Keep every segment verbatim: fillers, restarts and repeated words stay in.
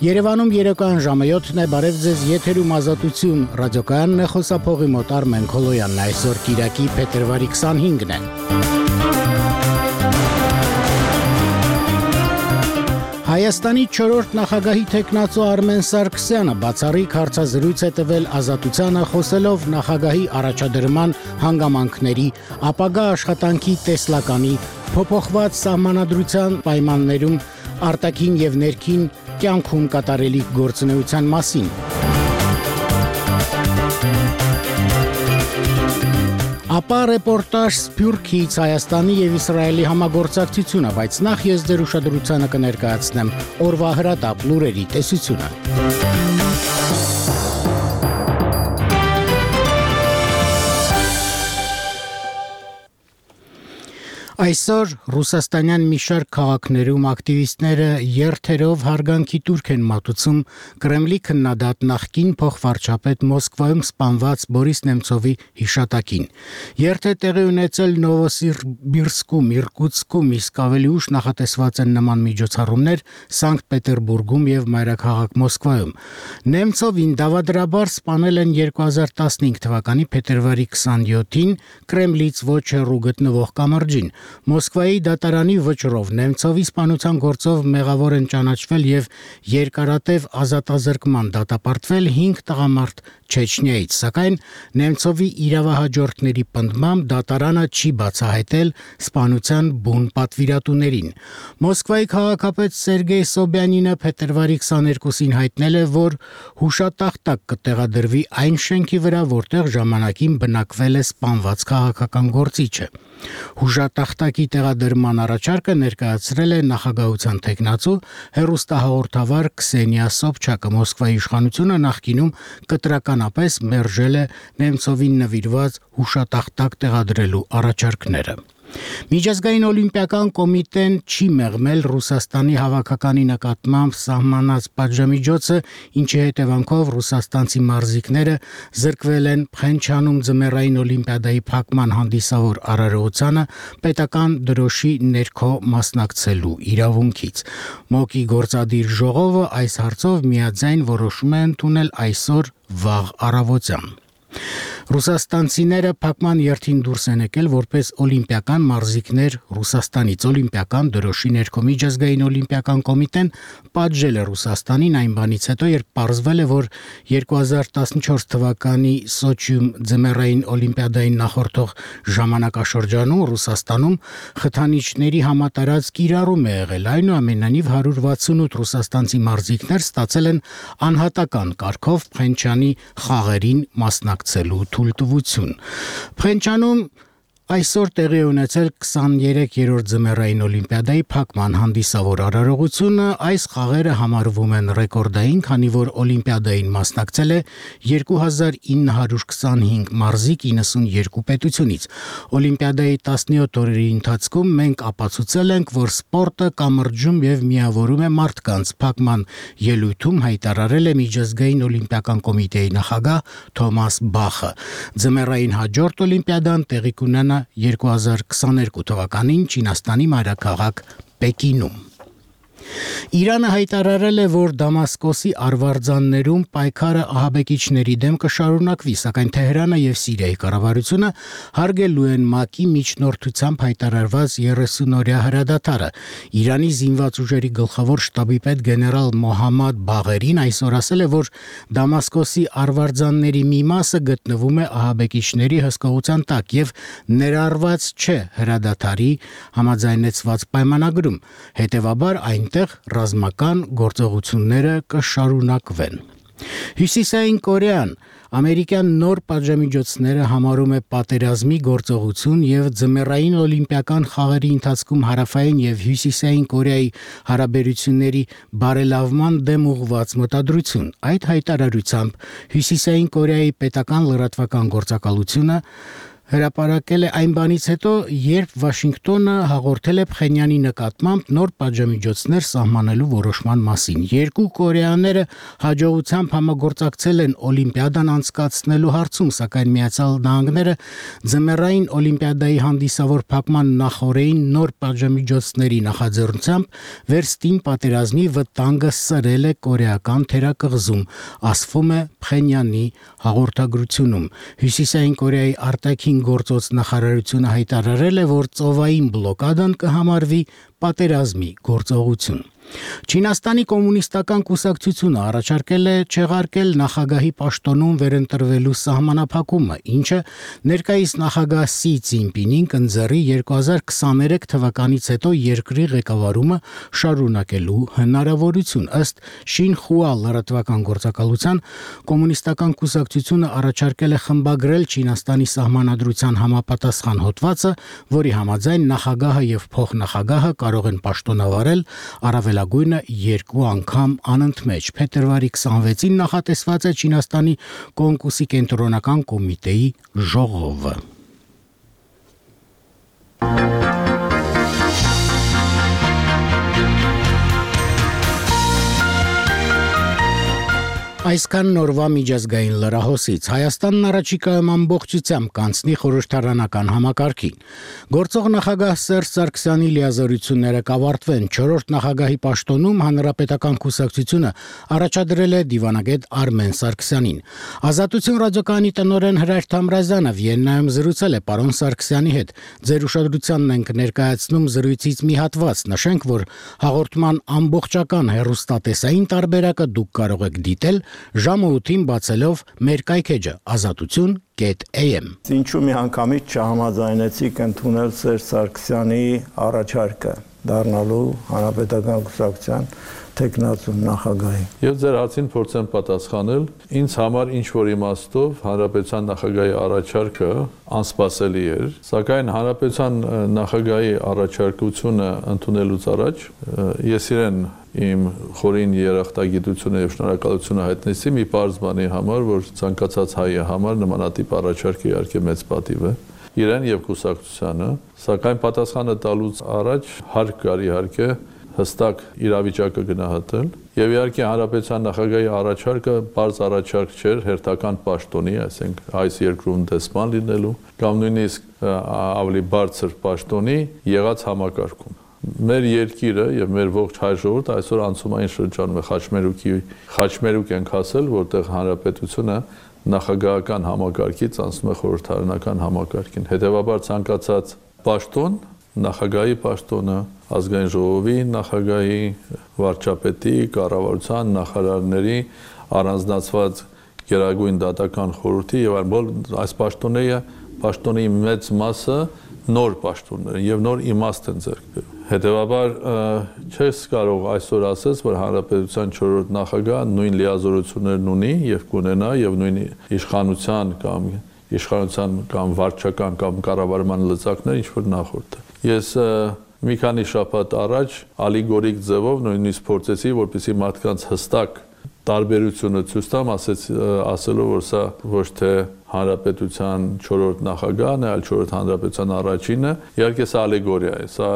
Երևանում երեկոյան ժամը յոթն է, բարև ձեզ, եթերում Ազատություն ռադիոկայանն է, խոսափողի մոտ Արմեն Քոլոյանն, այսօր կիրակի փետրվարի քսանհինգն է։ Հայաստանի չորրորդ նախագահի թեկնածու Արմեն Սարգսյանը բացառիկ հարցազրույց է տվել Ազատությանը, խոսելով նախագահի առաջադրման հանգամանքների, ապագա աշխատանքի տեսլականի, փոփոխված սահմանադրության պայմաններում արտաքին եւ ներքին կյանքում կատարելիք գործունեության մասին։ Ապա ռեպորտաժ Սփյուռքից Հայաստանի եւ Իսրայելի համագործակցությունը, բայց նախ ես ձեր ուշադրությանը կներկայացնեմ օրվա հրատապ լուրերի տեսությունը։ Այսօր ռուսաստանյան մի շարք քաղաքներում ակտիվիստները երթերով հարգանքի տուրք են մատուցում Կրեմլի քննադատ նախկին փոխվարչապետ Մոսկվայում սպանված Բորիս Նեմցովի հիշատակին։ Երթ է տեղի ունեցել Նովոսիբիրսկում, Իրկուտսկում, իսկ ավելի ուշ նախատեսված են նման միջոցառումներ Սանկտ Պետերբուրգում եւ մայրաքաղաք Մոսկվայում։ Նեմցովին դավադրաբար սպանել են երկու հազար տասնհինգ թվականի փետրվարի քսանյոթին Կրեմլից ոչ հեռու գտնվող կամրջին։ Մոսկվայի դատարանի վճռով Նեմցովի սպանության գործով մեղավոր են ճանաչվել եւ երկարատև ազատազրկման դատապարտվել հինգ տղամարդ Չեչնիայից, սակայն Նեմցովի իրավահաջորդների պնդմամբ դատարանը չի բացահայտել սպանության բուն պատվիրատուներին։ Մոսկվայի քաղաքապետ Սերգեյ Սոբյանինը փետրվարի քսաներկուսին հայտնել է, որ հուշատախտակ կտեղադրվի այն շենքի վրա, որտեղ ժամանակին բնակվել է սպանված քաղաքական գործիչը։ Հուշատախտակի տեղադրման առաջարկը ներկայացրել է նախագահության թեկնածու հեռուստահաղորդավար Քսենիա Սոբչակը։ Մոսկվայի իշխանությունը նախկինում կտրականապես մերժել է Նեմցովին նվիրված հուշատախտակ տեղադրելու առաջարկները։ Միջազգային օլիմպիական կոմիտեն չի մեղմել Ռուսաստանի հավաքականի նկատմամբ սահմանած պատժամիջոցը, ինչի հետևանքով ռուսաստանցի մարզիկները զրկվել են Փխենչանում ձմեռային օլիմպիադայի փակման հանդիսավոր արարողությանը պետական դրոշի ներքո մասնակցելու իրավունքից։ ՄՕԿ-ի գործադիր ժողովը այս հարցով միաձայն որոշում է ընդունել այսօր վաղ առավոտյան։ Ռուսաստանցիները փակման երթին դուրս են եկել որպես օլիմպիական մարզիկներ Ռուսաստանից։ Օլիմպիական դրոշի ներքո միջազգային օլիմպիական կոմիտեն պատժել է Ռուսաստանին այն բանից հետո, երբ պարզվել է, որ երկու հազար տասնչորս թվականի Սոչիում ձմեռային օլիմպիադային նախորդող ժամանակաշրջանում Ռուսաստանում խթանիչների համատարած կիրառում է եղել։ Այնուամենայնիվ հարյուր վաթսունութ ռուսաստանցի մարզիկներ ստացել են անհատական կարգով Փխենչանի խաղերին մասնակցելու թույլտվություն։ Փխենչանում այսօր տեղի ունեցել քսաներեքերորդ ձմեռային օլիմպիադայի փակման հանդիսավոր արարողությունը։ Այս խաղերը համարվում են ռեկորդային, քանի որ օլիմպիադային մասնակցել է երկու հազար ինը հարյուր քսանհինգ մարզիկ իննսունյոթ պետությունից։ Օլիմպիադայի տասնյոթ օրերի ընթացքում մենք ապացուցել ենք, որ սպորտը կամրջում եւ միավորում է մարդկանց, փակման ելույթում հայտարարել է միջազգային օլիմպիական կոմիտեի նախագահ Թոմաս Բախը։ Ձմեռային հաջորդ օլիմպիադան տեղի կունենա երկու հազար քսաներկու թվականին Չինաստանի մայրաքաղաք Պեկինում։ Իրանը հայտարարել է, որ Դամասկոսի արվարձաններում պայքարը ահաբեկիչների դեմ կշարունակվի, սակայն Թեհրանը եւ Սիրիայի կառավարությունը հարգելու են ՄԱԿ-ի միջնորդությամբ հայտարարված երեսունօրյա հրադադարը։ Իրանի զինված ուժերի գլխավոր շտաբի պետ գեներալ Մոհամմադ Բաղերին այսօր ասել է, որ Դամասկոսի արվարձանների մի մասը գտնվում է ահաբեկիչների հսկողության տակ եւ ներառված չէ հրադադարի համաձայնեցված պայմանագրում։ Հետևաբար այնտեղ ռազմական գործողությունները կշարունակվեն։ Հյուսիսային Կորեան ամերիկյան նոր պատժամիջոցները համարում է պատերազմի գործողություն եւ ձմեռային օլիմպիական խաղերի ընթացքում հարավային եւ հյուսիսային Կորեայի հարաբերությունների բարելավման դեմ ուղղված մտադրություն։ Այդ հայտարարությամբ Հյուսիսային Կորեայի պետական լրատվական գործակալությունը հրապարակել է այն բանից հետո, երբ Վաշինգտոնը հաղորդել է Փխենյանի նկատմամբ նոր պատժամիջոցներ սահմանելու որոշման մասին։ Երկու կորեաները հաջողությամբ համագործակցել են Օլիմպիադան անցկացնելու հարցում, սակայն Միացյալ Նահանգները ձմեռային Օլիմպիադայի հանդիսավոր փակման նախօրեին նոր պատժամիջոցների նախաձեռնությամբ վերստին պատերազմի վտանգը սրել է կորեական թերակղզում, ասվում է Փխենյանի հաղորդագրությունում։ Հյուսիսային Կորեայի արտաքին գործոց նախարարությունը հայտարարել է, որ ծովային բլոկադան կհամարվի պատերազմի գործողություն։ Չինաստանի կոմունիստական կուսակցությունը առաջարկել է չեղարկել նախագահի պաշտոնում վերընտրվելու սահմանափակումը, ինչը ներկայիս նախագահ Սի Ցզինպինին կընձեռի երկու հազար քսաներեք թվականից հետո երկրի ղեկավարումը շարունակելու հնարավորություն։ Ըստ Շինխուա լրատվական գործակալության, կոմունիստական կուսակցությունը առաջարկել է խմբագրել Չինաստանի սահմանադրության համապատասխան հոդվածը, որի համաձայն նախագահը եւ փոխնախագահը կարող են պաշտոնավարել առավելագույնը երկու անգամ անընդմեջ։ Փետրվարի քսանվեցին նախատեսված է Չինաստանի Կոնգրեսի կենտրոնական կոմիտեի ժողովը։ Այսքան նորվա միջազգային լրահոսից։ Հայաստանն առաջիկայում ամբողջությամբ կանցնի խորհրդարանական համակարգին։ Գործող նախագահ Սերժ Սարգսյանի լիազորությունները կավարտվեն։ Չորրորդ նախագահի պաշտոնում Հանրապետական կուսակցությունը առաջադրել է դիվանագետ Արմեն Սարգսյանին։ Ազատություն ռադիոկայանի տնօրեն Հրայր Թամրազյանը Վիեննայում զրուցել է պարոն Սարգսյանի հետ։ Ձեր ուշադրությանն ենք ներկայացնում զրույցից մի հատված։ Նշենք, որ հաղորդման ամբողջական հեռուստատեսային տարբերակը դուք կարող եք դիտել ժամը ութին բացելով մեր կայքեջը ազատություն կետ էյ էմ։ Ինչու մի անգամից չհամաձայնեցիք ընդունել Սերժ Սարգսյանի առաջարկը դառնալու Հանրապետական կուսակցության տեխնացու նախագահի։ Եվ ձեր հարցին փորձեմ պատասխանել, ինձ համար ինչ որ իմաստով Հանրապետության նախագահի առաջարկը անսպասելի էր, սակայն Հանրապետության նախագահի առաջարկությունը ընդունելուց առաջ ես իրեն իմ խորին երախտագիտությունը եւ շնորհակալությունը հայտնեցի մի պարզ բանի համար, որ ցանկացած հայի համար նմանատիպ առաջարկը իհարկե մեծ պատիվ է իրեն եւ կուսակցությանը, սակայն պատասխանը տալուց առաջ հարկ կար իհարկե հստակ իրավիճակը գնահատել եւ իհարկե Հանրապետության նախագահի առաջարկը բարձ առաջարկ չէր հերթական պաշտոնի, այսինքն այս երկրում դեսպան լինելու կամ նույնիսկ ավելի բարձր պաշտոնի եղած համակարգում։ Մեր երկիրը եւ մեր ողջ հայ ժողովուրդը այսօր անցումային շրջանում է խաչմերուկի խաչմերուկ ենք հասել, որտեղ հանրապետությունը նախագահական համակարգից անցնում է խորհրդարանական համակարգին։ Հետևաբար ցանկացած պաշտոն, նախագահի պաշտոնը, ազգային ժողովի նախագահի, վարչապետի, կառավարության նախարարների առանձնացված գերագույն դատական խորհրդի եւ այլն այս պաշտոնները պաշտոնի մեծ մասը նոր պաշտոններ եւ նոր իմաստ են ձեռք բերում։ Հետևաբար չես կարող այսօր ասես, որ Հանրապետության չորրորդ նախագահը նույն լիազորություններն ունի եւ կունենա եւ նույն իշխանության կամ իշխանության կամ վարչական կամ կառավարման լծակներ ինչ որ նախորդը։ Ես մի քանի շաբաթ առաջ ալիգորիկ ձևով նույնիսկ փորձեցի, որպեսզի մարդկանց հստակ տարբերությունը ցույց տամ, ասեց ասելով, որ սա ոչ թե Հանրապետության չորրորդ նախագահն է, այլ չորրորդ հանրապետության առաջինը, իհարկե սա ալեգորիա է, սա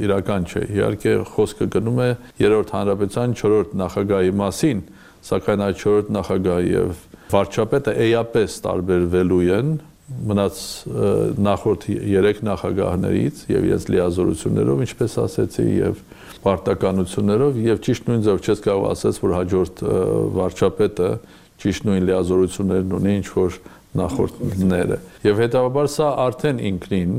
իրական չէ։ Իհարկե խոսքը գնում է երրորդ հանրապետության չորրորդ նախագահի մասին, սակայն այդ չորրորդ նախագահը եւ վարչապետը էյապես տարբերվելու են մնաց նախորդ երեք նախագահներից եւ իրենց լիազորություններով, ինչպես ասեցի, եւ պարտականություններով եւ ճիշտ նույն ձև չես կարող ասես, որ հաջորդ վարչապետը ճիշտ նույն լիազորություններն ունի, ինչ որ նախորդները։ Եվ հետաբար սա արդեն ինքնին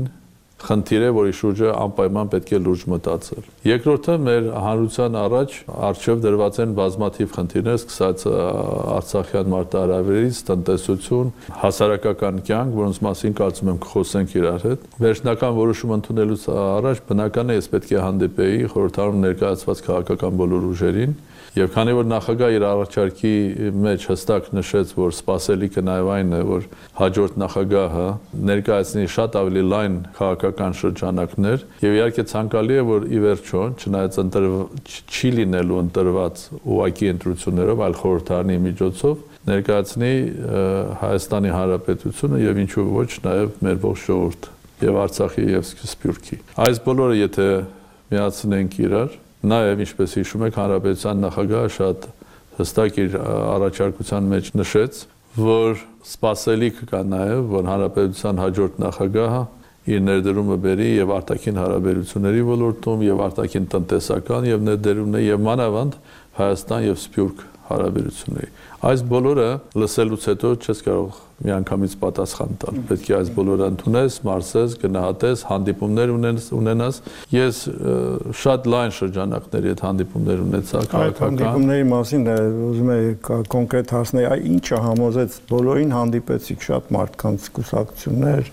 խնդիր է, որի շուրջը անպայման պետք է լուրջ մտածել։ Երկրորդը մեր հանրության առաջ արժեվ դրված են բազմաթիվ խնդիրներ, սկսած Արցախյան մարտահրավերից, տնտեսություն, հասարակական կյանք, որոնց մասին կարծում եմ կխոսենք իրար հետ։ Վերջնական որոշում ընդունելուց առաջ բնական է ես պետք է հանդիպեի խորհրդարանում ներկայացված քաղաքական բոլոր ուժերին, եւ քանի որ նախագահը իր առաջարկի մեջ հստակ նշեց, որ սպասելիքը նաեւ այն է, որ հաջորդ նախագահը ներկայացնի շատ ավելի լայն քաղաքական շրջանակներ եւ իհարկե ցանկալի է, որ ի վերջո, չնայած չի լինելու ընտրված ուղղակի ընտրություններով, այլ խորհրդարանի միջոցով ներկայացնի Հայաստանի Հանրապետությունը եւ ինչու ոչ նաեւ մեր ողջ ժողովուրդը եւ Արցախի եւ Սփյուռքի։ Այս բոլորը եթե միացնենք իրար, նաեւ ինչպես հիշում եք Հանրապետության նախագահը շատ հստակ իր առաջարկության մեջ նշեց, որ սպասելիք կա նաեւ, որ Հանրապետության հաջորդ նախագահը իր ներդրումը բերի եւ արտաքին հարաբերությունների ոլորտում եւ արտաքին տնտեսական եւ ներդրումներ եւ մանավանդ Հայաստան եւ Սփյուռք հարաբերությունների։ Այս բոլորը լսելուց հետո չես կարող միանգամից պատասխան տալ։ Պետք է այս բոլորը ընդունես, մարսես, գնահատես, հանդիպումներ ունենաս։ Ես շատ լայն շրջանակների այդ հանդիպումներ ունեցա քաղաքական։ Այդ հանդիպումների մասին ուզում եմ կոնկրետ հասնել, այ ինչը համոզեց բոլորին հանդիպեցիք, շատ մարդկանց կուսակցություններ,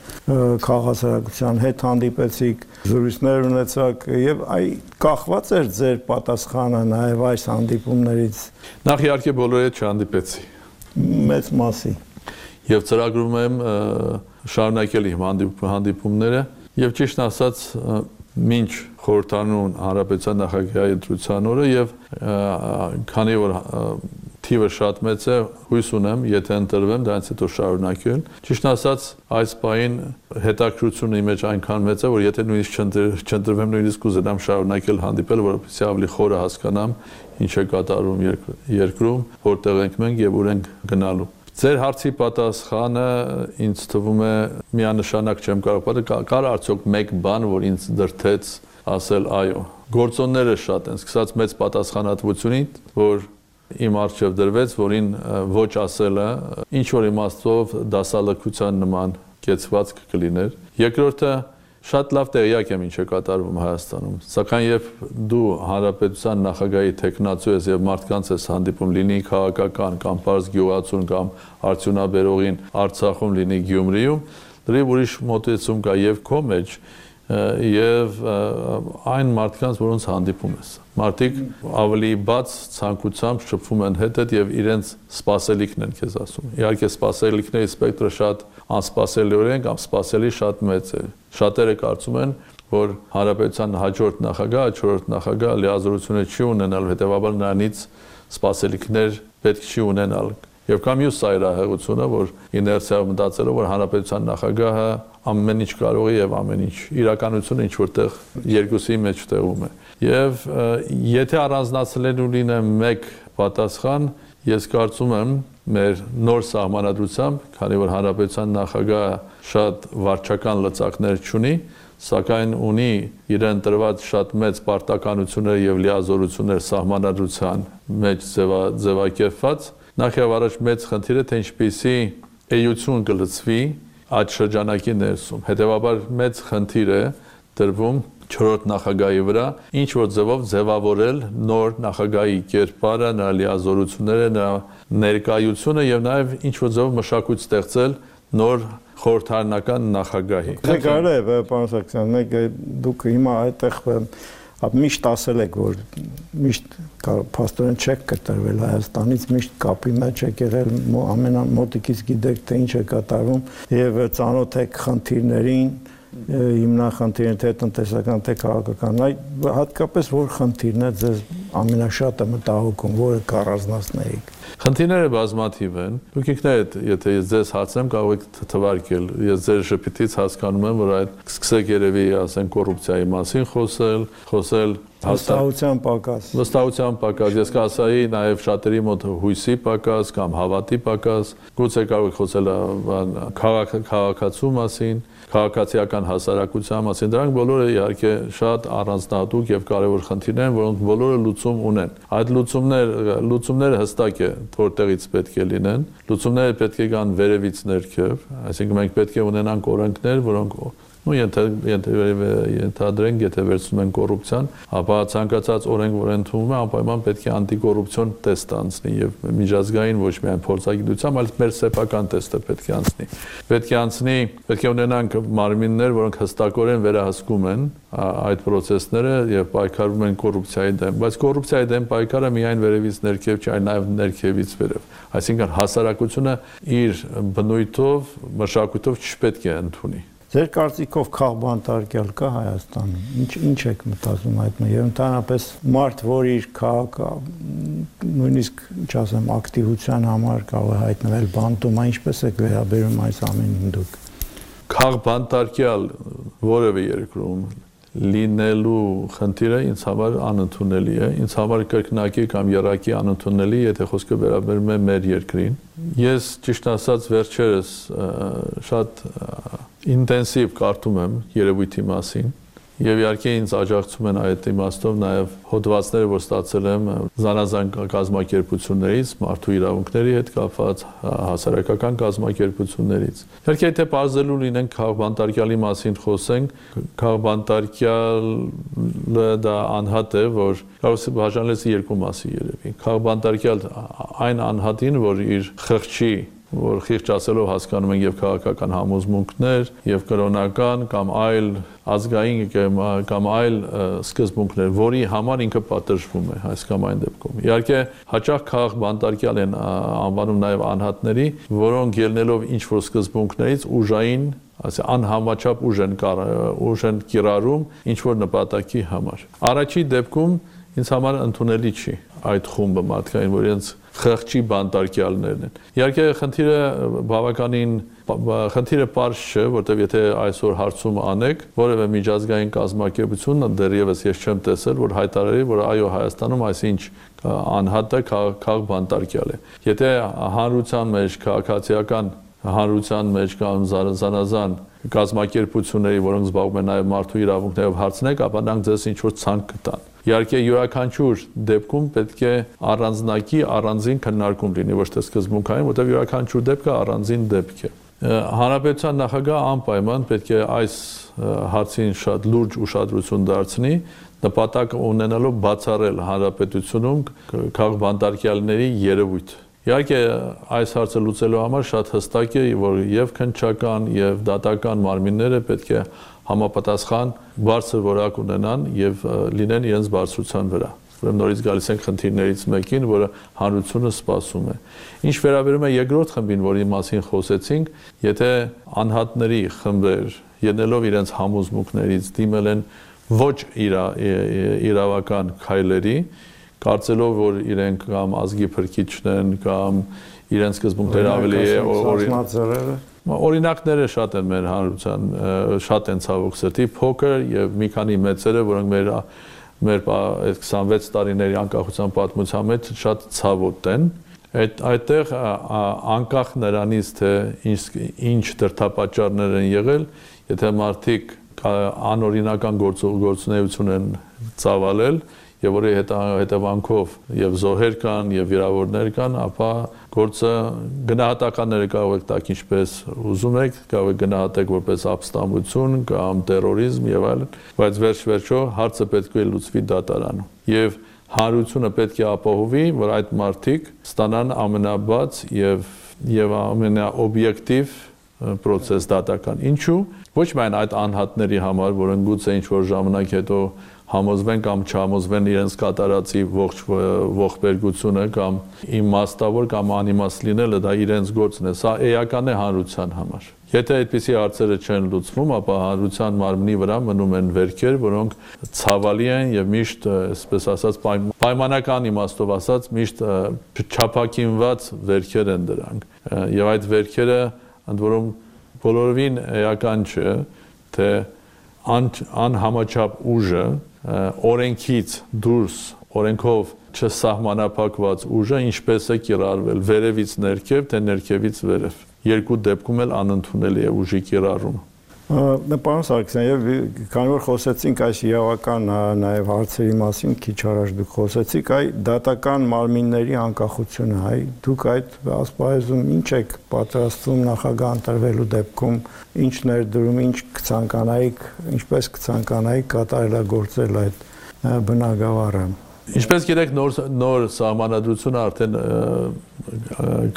քաղաքասարակության հետ հանդիպեցիք, զրույցներ ունեցաք եւ այ կախված էր ձեր պատասխանը նաեւ այս հանդիպումներից։ Նախ իհարկե բոլորի հետ չհանդիպեցի։ Մեծ մասի։ Եվ ծրագրում եմ շարունակել իմ հանդիպումները եւ ճիշտ ասած մինչ խորհրդանուն Հանրապետության նախագահի ընտրության օրը եւ քանի որ թիվը շատ մեծ է, հույս ունեմ, եթե ընտրվեմ, դրանից հետո շարունակել։ Ճիշտ ասած, այս պահին հետաքրքրությունը իմ մեջ այնքան մեծ է, որ եթե նույնիսկ չընտրվեմ, նույնիսկ կուզենամ շարունակել հանդիպել, որովհետեւ ավելի խորը հասկանամ ինչ է կատարվում երկրում, որտեղ ենք մենք եւ ուր ենք գնալու։ Ձեր հարցի պատասխանը ինձ թվում է միանշանակ չեմ կարող պատասխանել, կար արդյոք մեկ բան, որ ինձ դրթեց ասել այո։ Գործոնները շատ են, սկսած մեծ պատասխանատվությունից, որ իմ առջև դրվեց, որին ոչ ասելը ինչ որ իմաստով դասալքության նման կեցված կլիներ։ Երկրորդը շատ լավ տեղյակ եմ ինչ է կատարվում Հայաստանում, սակայն երբ դու Հանրապետության նախագահի տեխնացու ես եւ մարդկանց ես հանդիպում, լինի քաղաքական կամ պարզ գյուղացուն կամ արդյունաբերողին Արցախում, լինի Գյումրիում, դրի ուրիշ մոտեցում կա եւ քո մեջ եւ այն մարդկանց, որոնց հանդիպում ես։ Մարդիկ ավելի բաց ցանկությամբ շփվում են հետդ եւ իրենց սպասելիքն են քեզ ասում։ Իհարկե սպասելիքների սպեկտրը շատ անսպասելիորեն կամ սպասելի շատ մեծ է։ Շատերը կարծում են, որ Հանրապետության հաջորդ նախագահը, չորրորդ նախագահը լիազորությունը չի ունենալ, հետեւաբար նրանից սպասելիքներ պետք չի ունենալ։ Եվ կամ մյուս սայրահեղությունը, որ իներցիայով մտածելով, որ Հանրապետության նախագահը ամեն ինչ կարող է եւ ամեն ինչ իրականությունը ինչ որտեղ երկուսի մեջ տեղում է։ Եվ եթե առանձնացնելու լինեմ մեկ պատասխան, ես կարծում եմ մեր նոր սահմանադրությամբ, քանի որ Հանրապետության նախագահը շատ վարչական լծակներ չունի, սակայն ունի իրեն տրված շատ մեծ պարտականություններ եւ լիազորություններ սահմանադրության մեջ ձևակերպված, նախ եւ առաջ մեծ խնդիր է, թե ինչպիսի էություն կլծվի այդ շրջանակի ներսում։ Հետևաբար մեծ խնդիր է դրվում չորրորդ նախագահի վրա, ինչ որ ձևով ձևավորել նոր նախագահի կերպարը, նրա լիազորությունները, նրա ներկայությունը եւ նաեւ ինչ որ ձևով մշակույթ ստեղծել նոր խորհրդարանական նախագահի։ Դե կարելի է, պարոն Սարգսյան, մեկ դուք հիմա այդտեղ միշտ ասել եք, որ միշտ փաստորեն չեք կտրվել Հայաստանից, միշտ կապի մեջ եք եղել, ամենամոտիկից գիտեք, թե ինչ է կատարվում եւ ծանոթ եք խնդիրներին, հիմնախնդիրն թե տնտեսական, թե քաղաքական, այ հատկապես որ խնդիրն է ձեզ ամենաշատը մտահոգում, որը կառանձնացնեիք։ Խնդիրները բազմաթիվ են։ Դուք ինքներդ, եթե ես ձեզ հարցնեմ, կարող եք թվարկել։ Ես ձեր շփիթից հասկանում եմ, որ այդ սկսեք երևի, ասենք, կոռուպցիայի մասին խոսել, խոսել վստահության պակաս։ Վստահության պակաս, ես կասայի նաև շատերի մոտ հույսի պակաս կամ հավատի պակաս, գուցե կարող եք խոսել քաղաքացու մասին, քաղաքացիական հասարակության մասին, դրանք բոլորը իհարկե շատ առանձնահատուկ եւ կարեւոր խնդիրներ են, որոնք բոլորը լուծում ունեն։ Այդ լուծումներ, լուծումները հստակ է, որտեղից պետք է լինեն։ Լուծումները պետք է գան վերևից ներքև, այսինքն մենք պետք է ունենանք օրենքներ, որոնք ու ենթադրենք, եթե վերցնում են կոռուպցիան, ապա ցանկացած օրենք, որ ընդունվում է, անպայման պետք է անտիկոռուպցիոն տեստ անցնի եւ միջազգային ոչ միայն փորձագիտությամբ, այլ մեր սեփական տեստը պետք է անցնի։ Պետք է անցնի, պետք է ունենանք մարմիններ, որոնք հստակորեն վերահսկում են այդ process-ները եւ պայքարում են կոռուպցիայի դեմ, բայց կոռուպցիայի դեմ պայքարը միայն վերևից ներքև չէ, այլ նաեւ ներքևից վերև։ Այսինքն հասարակությունը իր բնույթով, մշակույթով չպետք է ընդունի։ Ձեր կարծիքով քաղբանտարկյալ կա Հայաստանում։ Ինչ ինչ եք մտածում այդ մեջ։ Եվ ընդհանրապես մարդ, որ իր քաղաք նույնիսկ, ինչ ասեմ, ակտիվության համար կարող է հայտնվել բանտում, ինչպես եք վերաբերում այս ամենին դուք։ Քաղբանտարկյալ որևէ երկրում լինելու խնդիրը ինձ համար անընդունելի է, ինձ համար կրկնակի կամ եռակի անընդունելի, եթե խոսքը վերաբերում է մեր երկրին։ Ես ճիշտ ասած վերջերս շատ ինտենսիվ կարդում եմ երևույթի մասին եւ իհարկե ինձ աջակցում են այդ իմաստով նաեւ հոդվածները, որ ստացել եմ զանազան կազմակերպություններից, մարդու իրավունքների հետ կապված հասարակական կազմակերպություններից։ Իհարկե եթե բարձելու լինենք քաղբանտարկյալի մասին խոսենք, քաղբանտարկյալը դա անհատ է, որ կարող է բաժանելս երկու մասի երևի։ Քաղբանտարկյալ այն անհատին, որ իր խղճի որ խիղճ ասելով հասկանում են եւ քաղաքական համոզմունքներ եւ կրոնական կամ այլ ազգային կամ այլ սկզբունքներ, որի համար ինքը պատժվում է այս կամ այն դեպքում։ Իհարկե հաճախ քաղբանտարկյալ են անվանում նաեւ անհատների, որոնք ելնելով ինչ որ սկզբունքներից ուժային, ասե անհամաչափ ուժ են ուժ են կիրառում ինչ որ նպատակի համար։ Առաջի դեպքում ինձ համար ընդունելի չի այդ խումբը մարդկային, որ իրենց խղճի բանտարկյալներն են։ Իհարկե խնդիրը բավականին խնդիրը պարզ չէ, որտեղ եթե այսօր հարցում անեք, որևէ միջազգային կազմակերպություն դեռևս ես չեմ տեսել, որ հայտարարի, որ այո Հայաստանում այսինչ անհատը քաղբանտարկյալ է։ Եթե հանրության մեջ քաղաքացիական հանրության մեջ կամ զանազան կազմակերպությունների, որոնք զբաղվում են նաև մարդու իրավունքներով հարցնեք, ապա նրանք ձեզ ինչ որ ցանկ կտան։ Իհարկե յուրաքանչյուր դեպքում պետք է առանձնակի առանձին քննարկում լինի, ոչ թե սկզբունքային, որտեղ յուրաքանչյուր դեպքը առանձին դեպք է։ Հանրապետության նախագահը անպայման պետք է այս հարցին շատ լուրջ ուշադրություն դարձնի, նպատակ ունենալով բացառել հանրապետությունում քաղբանտարկյալների երևույթ։ Իհարկե այս հարցը լուծելու համար շատ հստակ է, որ եւ քննչական եւ դատական մարմինները պետք է համապատասխան բարձր որակ ունենան եւ լինեն իրենց բարձրության վրա։ Ուրեմն նորից գալիս ենք խնդիրներից մեկին, որը հանրությունը սպասում է։ Ինչ վերաբերում է երկրորդ խմբին, որի մասին խոսեցինք, եթե անհատների խմբեր ելնելով իրենց համոզմունքներից դիմել են ոչ իրավական քայլերի, կարծելով որ իրենք կամ ազգի փրկիչն են կամ իրենց սկզբունքները ավելի օրինակները շատ են մեր հանրության շատ են ցավոք սրտի փոքր եւ մի քանի մեծերը, որոնք մեր մեր քսանվեց տարիների անկախության պատմության մեջ շատ ցավոտ են։ Այդ այդտեղ անկախ նրանից թե ինչ դրդապատճառներ են եղել, եթե մարդիկ անօրինական գործունեություն են ծավալել եւ որի հետևանքով եւ զոհեր կան եւ վիրավորներ կան, ապա գործը գնահատականները կարող եք տակ ինչպես ուզում եք, կարող եք գնահատեք որպես ապստամբություն կամ տերորիզմ եւ այլն, բայց վերջ-վերջո հարցը պետք է լուծվի դատարանում։ Եվ հանրությունը պետք է ապահովի, որ այդ մարդիկ ստանան ամենաբաց եւ եւ ամենաօբյեկտիվ process դատական։ Ինչու՞։ Ոչ միայն այդ անհատների համար, որոնք գուցե ինչ որ ժամանակ հետո համոզվեն կամ չհամոզվեն իրենց կատարածի ողջ ողբերգությունը կամ իմաստավոր կամ անիմաստ լինելը դա իրենց գործն է, սա էական է հանրության համար։ Եթե այդպիսի հարցերը չեն լուծվում, ապա հանրության մարմնի վրա մնում են վերքեր, որոնք ցավալի են եւ միշտ, այսպես ասած, պայմանական իմաստով ասած, միշտ չափակինված վերքեր են դրանք։ Եվ այդ վերքերը ընդ որում բոլորովին էական չէ, թե անհամաչափ ուժը օրենքից դուրս, օրենքով չսահմանափակված ուժը ինչպես է կիրառվել վերևից ներքև, թե ներքևից վերև։ Երկու դեպքում էլ անընդունելի է ուժի կիրառումը։ Պարոն Սարգսյան, եւ քանի որ խոսեցինք այս իրավական նաեւ հարցերի մասին, քիչ առաջ դուք խոսեցիք, այ դատական մարմինների անկախությունը, այ դուք այդ ասպարեզում ինչ եք պատրաստվում նախագահ ընտրվելու դեպքում, ինչ ներդրում, ինչ կցանկանայիք, ինչպես կցանկանայիք կատարելագործել այդ բնագավառը։ Ինչպես գիտեք, նոր նոր սահմանադրությունը արդեն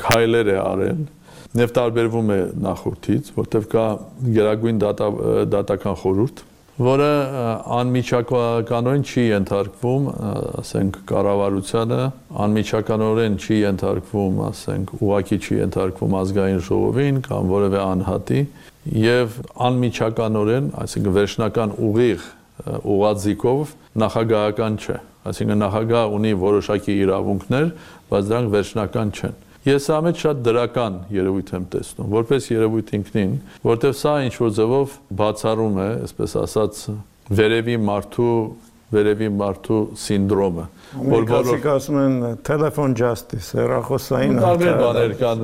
քայլեր է արել։ Եվ տարբերվում է նախորդից, որտեղ կա գերագույն դատական խորհուրդ, որը անմիջականորեն չի ենթարկվում, ասենք, կառավարությանը, անմիջականորեն չի ենթարկվում, ասենք, ուղղակի չի ենթարկվում ազգային ժողովին կամ որևէ անհատի, եւ անմիջականորեն, այսինքն վերջնական ուղիղ ուղղաձիգով նախագահական չէ, այսինքն նախագահ ունի որոշակի իրավունքներ, բայց դրանք վերջնական չեն։ Ես սա մեջ շատ դրական երևույթ եմ տեսնում, որպես երևույթ ինքնին, որտեղ սա ինչ որ ձևով բացառում է, այսպես ասած, վերևի մարդու վերևի մարդու սինդրոմը, որ բոլորը ասում են telephone justice, հեռախոսային տարբեր բաներ կան,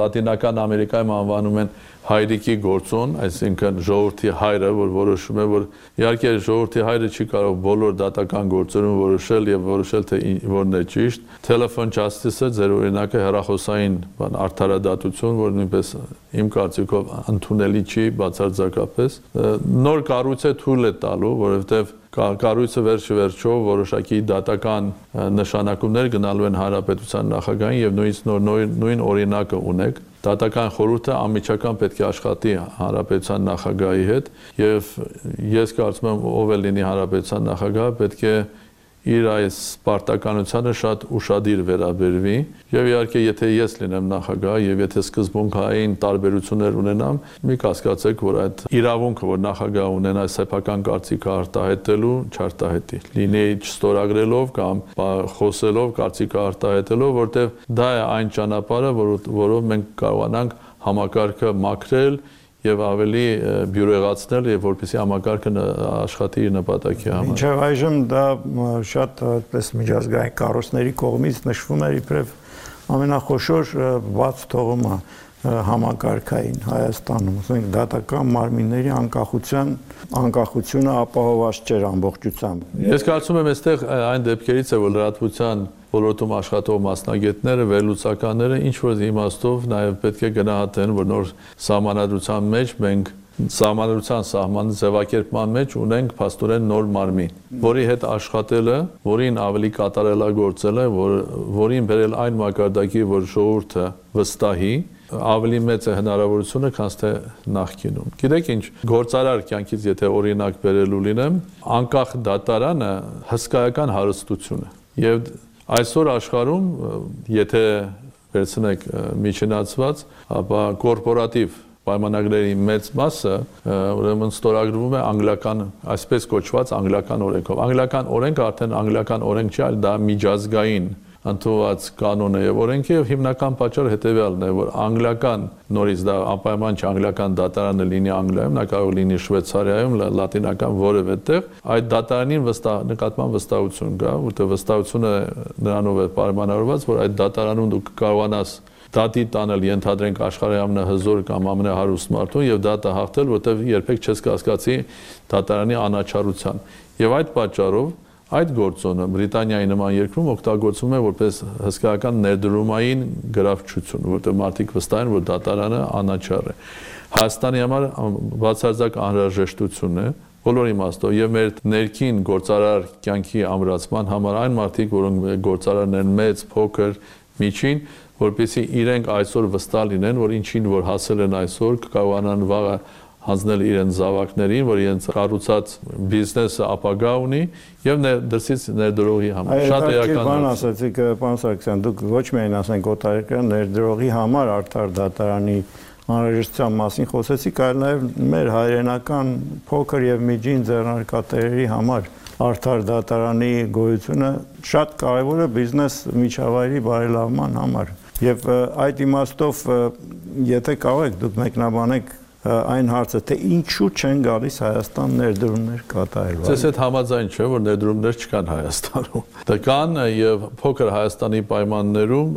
լատինական Ամերիկայում անվանում են հայրիկի գործոն, այսինքն ժողովրդի հայրը, որ որոշում է, որ իհարկե ժողովրդի հայրը չի կարող բոլոր դատական գործերում որոշել եւ որոշել թե որն է ճիշտ։ Telephone justice-ը ձեր օրինակը հեռախոսային բան արդարադատություն, որ նույնպես իմ կարծիքով ընդունելի չի բացարձակապես։ Նոր կառույց է թույլ է տալու, որովհետեւ կառույցը վերջի վերջով որոշակի դատական նշանակումներ գնալու են հանրապետության նախագահին եւ նույնիսկ նոր նույն օրինակը ունեք։ Դատական խորհուրդը անմիջական պետք է աշխատի հանրապետության նախագահի հետ եւ ես կարծում եմ ով էլ լինի հանրապետության նախագահը պետք է իր այս պարտականությանը շատ ուշադիր վերաբերվի եւ իհարկե եթե ես լինեմ նախագահ եւ եթե սկզբունքային տարբերություններ ունենամ մի կասկածեք որ այդ իրավունքը որ նախագահ ունենա սեփական կարծիքը արտահայտելու չարտահայտի լինի չստորագրելով կամ խոսելով կարծիքը արտահայտելով որտեղ դա է այն ճանապարհը որով մենք կարողանանք համակարգը մաքրել եւ ավելի բյուրեղացնել եւ որպեսզի համակարգը աշխատի իր նպատակի համար։ Մինչեւ այժմ դա շատ այդպես միջազգային կառույցների կողմից նշվում է իբրև ամենախոշոր բաց թողումը համակարգային Հայաստանում, ասենք դատական մարմինների անկախության անկախությունը ապահովված չէր ամբողջությամբ։ Ես կարծում եմ այստեղ այն դեպքերից է որ լրատվության ոլորտում աշխատող մասնագետները, վերլուծականները ինչ որ իմաստով նաև պետք է գնահատեն, որ նոր սահմանադրության մեջ մենք սահմանադրության սահմանի ձևակերպման մեջ ունենք փաստորեն նոր մարմին, որի հետ աշխատելը, որին ավելի կատարելագործելը, որ, որին բերել այն մակարդակի, որ ժողովուրդը վստահի, ավելի մեծ է հնարավորությունը, քան թե նախկինում։ Գիտեք ինչ, գործարար կյանքից եթե օրինակ բերելու լինեմ, անկախ դատարանը հսկայական հարստություն է։ Եվ այսօր աշխարհում, եթե վերցնեք միջինացված, ապա կորպորատիվ պայմանագրերի մեծ մասը ուրեմն ստորագրվում է անգլիական, այսպես կոչված անգլիական օրենքով։ Անգլիական օրենքը արդեն անգլիական օրենք չի, այլ դա միջազգային ընդունված կանոն է եւ օրենքի եւ հիմնական պատճառը հետեւյալն է, որ անգլիական նորից դա անպայման չէ անգլիական դատարանը լինի Անգլիայում, նա կարող լինի Շվեյցարիայում, լատինական որևէ տեղ, այդ դատարանին վստահ նկատմամբ վստահություն կա, որտեղ վստահությունը նրանով է պայմանավորված, որ այդ դատարանում դու կարողանաս դատի տանել ենթադրենք աշխարհի ամենահզոր կամ ամենահարուստ մարդուն եւ դատը հաղթել, որտեղ երբեք չես կասկածի դատարանի անաչառության։ Եվ այդ պատճառով այդ գործոնը Բրիտանիայի նման երկրում օգտագործվում է որպես հսկայական ներդրումային գրավչություն, որտեղ մարդիկ վստահ են, որ դատարանը անաչառ է։ Հայաստանի համար բացարձակ անհրաժեշտություն է բոլոր իմաստով եւ մեր ներքին գործարար կյանքի ամրացման համար այն մարդիկ, որոնք գործարարն են մեծ, փոքր, միջին, որպեսզի իրենք այսօր վստահ լինեն, որ ինչին որ հասել են այսօր կկարողանան վաղը հանձնել իրենց զավակներին, որ իրենց կառուցած բիզնեսը ապագա ունի եւ դրսից ներդրողի համար։ Շատ էական բան ասացիք, պարոն Սարգսյան, դուք ոչ միայն ասենք օտարերկրյա ներդրողի համար արդար դատարանի անհրաժեշտության մասին խոսեցիք, այլ նաեւ մեր հայրենական փոքր եւ միջին ձեռնարկատերերի համար արդար դատարանի գոյությունը շատ կարեւոր է բիզնես միջավայրի բարելավման համար։ Եվ այդ իմաստով եթե կարող եք դուք մեկնաբանեք այն հարցը, թե ինչու չեն գալիս Հայաստան ներդրումներ կատարելու։ Ձեզ հետ համաձայն չէ, որ ներդրումներ չկան Հայաստանում։ Դա կան եւ փոքր Հայաստանի պայմաններում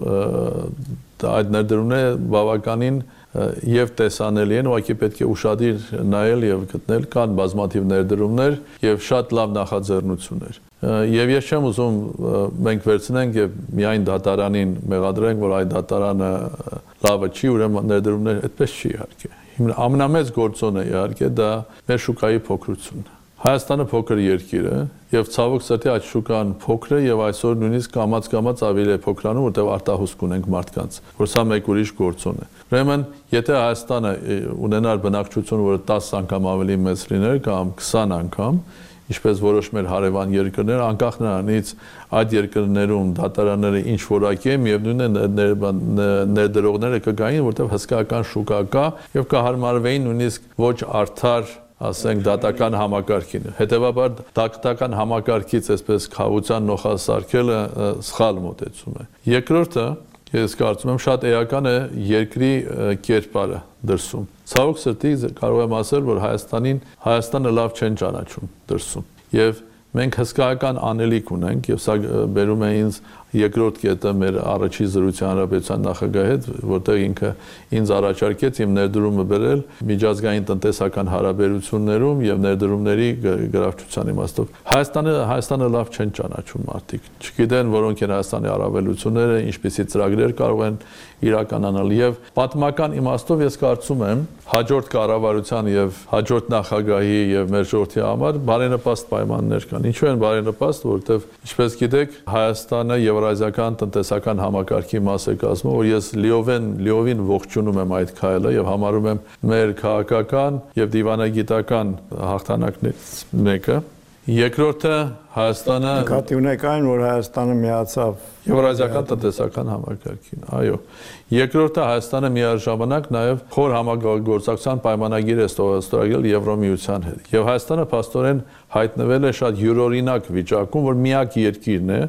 այդ ներդրումները բավականին եւ տեսանելի են, ուղղակի պետք է ուշադիր նայել եւ գտնել, կան բազմաթիվ ներդրումներ եւ շատ լավ նախաձեռնություններ։ Եվ ես չեմ ուզում մենք վերցնենք եւ միայն դատարանին մեղադրենք, որ այդ դատարանը լավը չի, ուրեմն ներդրումներ այդպես չի իհարկե։ Ամենամեծ գործոնը իհարկե դա մեր շուկայի փոքրությունն է։ Հայաստանը փոքր երկիր է եւ ցավոք սրտի այդ շուկան փոքր է եւ այսօր նույնիսկ կամաց-կամաց ավելի է փոքրանում, որտեղ արտահոսք ունենք մարդկանց, որ սա մեկ ուրիշ գործոն է։ Ուրեմն, եթե Հայաստանը ունենար բնակչություն, որը տասը անգամ ավելի մեծ լիներ կամ քսան անգամ, ինչպես որոշ մեր հարևան երկրներ, անկախ նրանից այդ երկրներում դատարանները ինչ որակի են, միևնույն է ներդրողները կգային, որտեղ հսկայական շուկա կա եւ կհարմարվեին նույնիսկ ոչ արդար, ասենք, դատական համակարգին։ Հետևաբար դատական համակարգից այսպես խաղաղության նոխասարքելը սխալ մոտեցում է։ Երկրորդը, ես կարծում եմ, շատ էական է երկրի կերպարը դրսում։ Ցավոք սրտի կարող եմ ասել, որ Հայաստանին Հայաստանը լավ չեն ճանաչում դրսում։ Եվ մենք հսկայական անելիք ունենք, եւ սա բերում է ինձ երկրորդ կետը մեր առաջի զրույցի հանրապետության նախագահի հետ, որտեղ ինքը ինձ առաջարկեց իմ ներդրումը բերել միջազգային տնտեսական հարաբերություններում եւ ներդրումների գրավչության իմաստով։ Հայաստանը Հայաստանը լավ չեն ճանաչում մարդիկ։ Չգիտեն որոնք են Հայաստանի առավելությունները, ինչպիսի ծրագրեր կարող են իրականանալ եւ պատմական իմաստով ես կարծում եմ հաջորդ կառավարության եւ հաջորդ նախագահի եւ մեր ժողովրդի համար բարենպաստ պայմաններ կան։ Ինչու են բարենպաստ, որովհետեւ ինչպես գիտեք Հայաստանը Եվրազիական տնտեսական համակարգի մաս է կազմում, որ ես լիովին լիովին ողջունում եմ այդ քայլը եւ համարում եմ մեր քաղաքական եւ դիվանագիտական հաղթանակներից մեկը։ Երկրորդը Հայաստանը նկատի ունեք այն, որ Հայաստանը միացավ Եվրազիական տնտեսական համակարգին, այո։ Երկրորդը Հայաստանը միաժամանակ նաև խոր համագործակցության պայմանագիր է ստորագրել Եվրոմիության հետ։ Եվ Հայաստանը փաստորեն հայտնվել է շատ յուրօրինակ վիճակում, որ միակ երկիրն է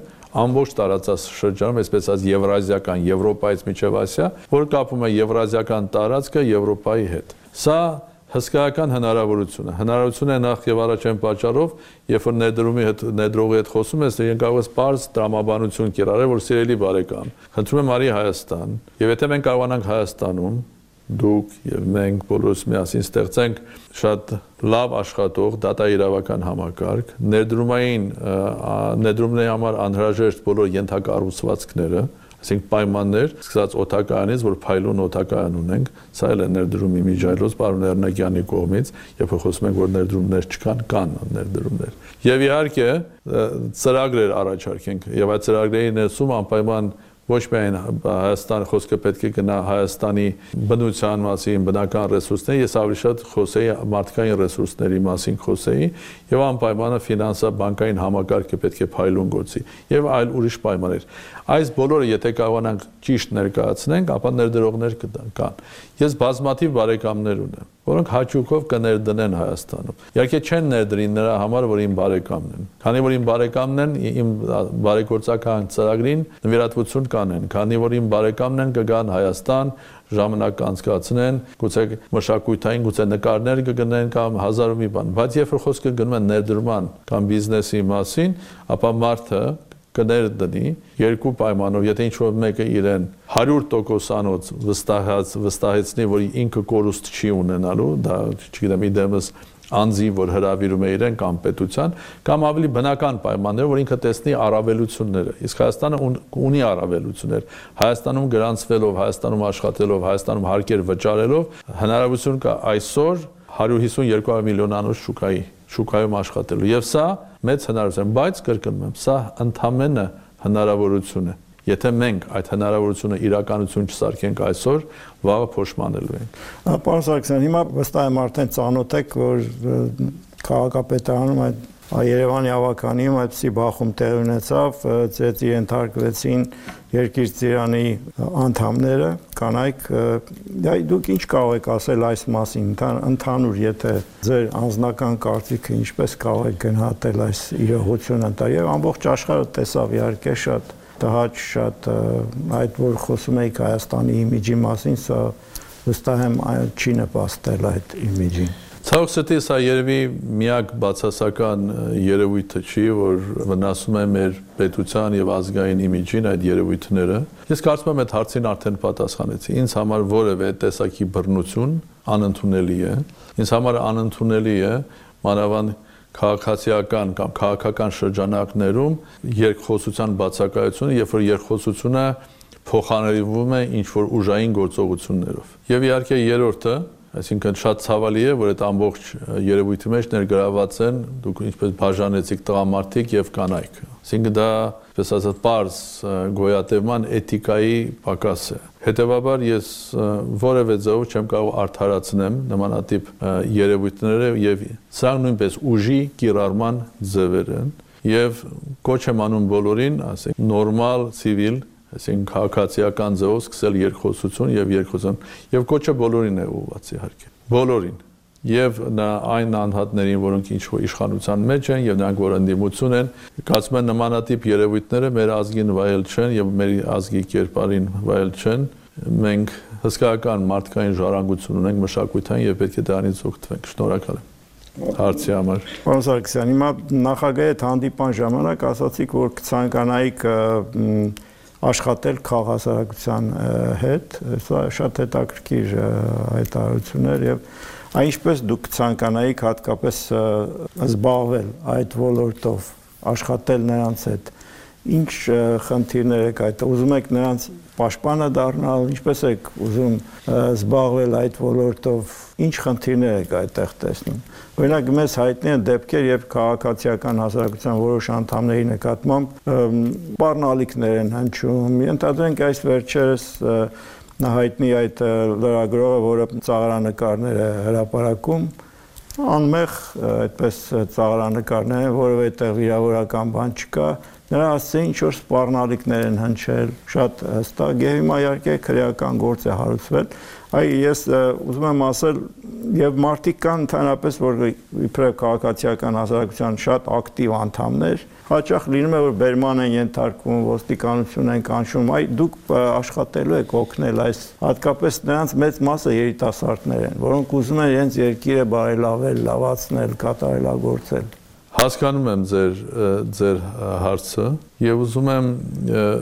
ամբողջ տարածաշրջանում, այսպես ասած Եվրազիական, Եվրոպայից մինչև Ասիա, որ կապում է Եվրազիական տարածքը Եվրոպայի հետ։ Սա հսկայական հնարավորություն է։ Հնարավորություն է նախ եւ առաջ այն պատճառով, երբ որ ներդրումի հետ ներդրողի հետ խոսում ես, դու կարող ես բարձ տրամաբանություն կիրառել, որ սիրելի բարեկամ, խնդրում եմ արի Հայաստան, եւ եթե մենք կարողանանք Հայաստանում դուք եւ մենք բոլորս միասին ստեղծենք շատ լավ աշխատող դատաիրավական համակարգ, ներդրումային ներդրումների համար անհրաժեշտ բոլոր ենթակառուցվածքները, այսինքն պայմաններ, սկսած օդակայանից, որ փայլուն օդակայան ունենք, սա էլ է ներդրումի միջայլոց պարոն Էրնագյանի կողմից, երբ խոսում ենք, որ ներդրումներ չկան, կան ներդրումներ։ Եվ իհարկե ծրագրեր առաջարկենք, եւ այդ ծրագրերի ներսում անպայման ոչ միայն Հայաստան խոսքը պետք է գնա Հայաստանի բնության մասին, բնական ռեսուրսների, ես ավելի շատ խոսեի մարդկային ռեսուրսների մասին խոսեի, եւ անպայմանը ֆինանսա-բանկային համակարգը պետք է փայլուն գործի եւ այլ ուրիշ պայմաններ։ Այս բոլորը եթե կարողանանք ճիշտ ներկայացնենք, ապա ներդրողներ կան։ Ես բազմաթիվ բարեկամներ ունեմ, որոնք հաճույքով կներդնեն Հայաստանում։ Իհարկե չեն ներդրին նրա համար, որ իմ բարեկամն են։ Քանի որ իմ բարեկամն են, իմ բարեգործական ծրագրին նվիրատվություն կանեն, քանի որ իմ բարեկամն են կգան Հայաստան, ժամանակ անցկացնեն, գուցե մշակութային, գուցե նկարներ կգնեն կամ հազար ու մի բան, բայց երբ որ խոսքը գնում է ներդրման կամ բիզնեսի մասին, ապա մարդը կներդնի երկու պայմանով, եթե ինչ-որ մեկը իրեն հարյուր տոկոսանոց վստահած վստահեցնի, որ ինքը կորուստ չի ունենալու, դա չգիտեմ իդեմս անձի, որ հրավիրում է իրեն կամ պետության, կամ ավելի բնական պայմաններ, որ ինքը տեսնի առավելությունները։ Իսկ Հայաստանը ունի առավելություններ։ Հայաստանում գրանցվելով, Հայաստանում աշխատելով, Հայաստանում հարկեր վճարելով, հնարավորություն կա այսօր հարյուր հիսուն երկու միլիոնանոց շուկայի շուկայում աշխատելու։ Եվ սա մեծ հնարավորություն է, բայց կրկնում եմ, սա ընդհանրապես հնարավորություն է։ Եթե մենք այդ հնարավորությունը իրականություն չսարքենք այսօր, վաղը փոշմանելու ենք։ Պարոն Սարգսյան, հիմա վստահ եմ արդեն ծանոթ եք, որ քաղաքապետարանում այդ Երևանի ավականիում այդպիսի բախում տեղի ունեցավ, ծեծի ենթարկվեցին երկիր ծիրանի անդամները, կանայք, դուք ինչ կարող եք ասել այս մասին, ընդհանուր, եթե ձեր անձնական կարծիքը ինչպես կարող եք գնահատել այս իրողությունը, եւ ամբողջ աշխարհը տեսավ իհարկե շատ տհաճ, շատ այդ որ խոսում եք Հայաստանի իմիջի մասին, սա վստահ եմ չի նպաստել այդ իմիջին։ Ցավոք սրտի սա երևի միակ բացասական երևույթը չի, որ վնասում է մեր պետության եւ ազգային իմիջին այդ երևույթները։ Ես կարծում եմ այդ հարցին արդեն պատասխանեցի։ Ինձ համար որևէ տեսակի բռնություն անընդունելի է։ Ինձ համար անընդունելի է մանավանդ քաղաքացիական կամ քաղաքական շրջանակներում երկխոսության բացակայությունը, երբ որ երկխոսությունը փոխանցվում է ինչ-որ ուժային գործողություններով։ Եվ իհարկե երրորդը, այսինքն շատ ցավալի է, որ այդ ամբողջ երևույթի մեջ ներգրաված են դուք ինչպես բաժանեցիք տղամարդիկ եւ կանայք։ Այսինքն դա, այսպես ասած, պարզ գոյատևման էթիկայի պակաս է։ Հետևաբար ես որևէ ձևով չեմ կարող արդարացնեմ նմանատիպ երևույթները եւ սա նույնպես ուժի կիրառման ձևեր են եւ կոչ եմ անում բոլորին, ասենք նորմալ ցիվիլ, այսինքն քաղաքացիական ձևով սկսել երկխոսություն եւ երկխոսություն եւ կոչը բոլորին է ուղղված իհարկե բոլորին եւ նա այն անհատներին, որոնք ինչ-որ իշխանության մեջ են եւ նրանք որ ընդդիմություն են, կարծում եմ նմանատիպ երևույթները մեր ազգին վայել չեն եւ մեր ազգի կերպարին վայել չեն։ Մենք հսկայական մարդկային ժառանգություն ունենք մշակութային եւ պետք է դրանից օգտվենք։ Շնորհակալ եմ հարցի համար։ Պարոն Սարգսյան, հիմա նախագահի հետ հանդիպան ժամանակ ասացիք, որ կցանկանայիք աշխատել քաղաքասարակության հետ, սա շատ հետաքրքիր հայտարարություններ եւ Այնպես դուք ցանկանայիք հատկապես զբաղվել այդ ոլորտով, աշխատել նրանց հետ, ինչ խնդիրներ եք այդ, ուզում եք նրանց պաշտպանը դառնալ, ինչպես եք ուզում զբաղվել այդ ոլորտով, ինչ խնդիրներ եք այդտեղ տեսնում։ Օրինակ մեզ հայտնի են դեպքեր, երբ քաղաքացիական հասարակության որոշ անդամների նկատմամբ սպառնալիքներ են հնչում, ենթադրենք այս վերջերս հայտնի այդ լրագրողը, որը ծաղրանկարներ է հրապարակում, անմեղ այդպես ծաղրանկարներ են, որովհետև վիրավորական բան չկա, նրա հասցեին ինչ-որ սպառնալիքներ են հնչել, շատ հստակ, եւ հիմա իհարկե քրեական գործ է հարուցվել, այ ես ուզում եմ ասել, եւ մարդիկ կան ընդհանրապես, որ իբրև քաղաքացիական հասարակության շատ ակտիվ անդամներ, հաճախ լինում է, որ բերման են ենթարկվում, ոստիկանություն են կանչում, այ դուք աշխատելու եք օգնել այս, հատկապես նրանց մեծ մասը երիտասարդներ են, որոնք ուզում են իրենց երկիրը բարելավել, լավացնել, կատարելագործել։ Հասկանում եմ ձեր ձեր հարցը եւ ուզում եմ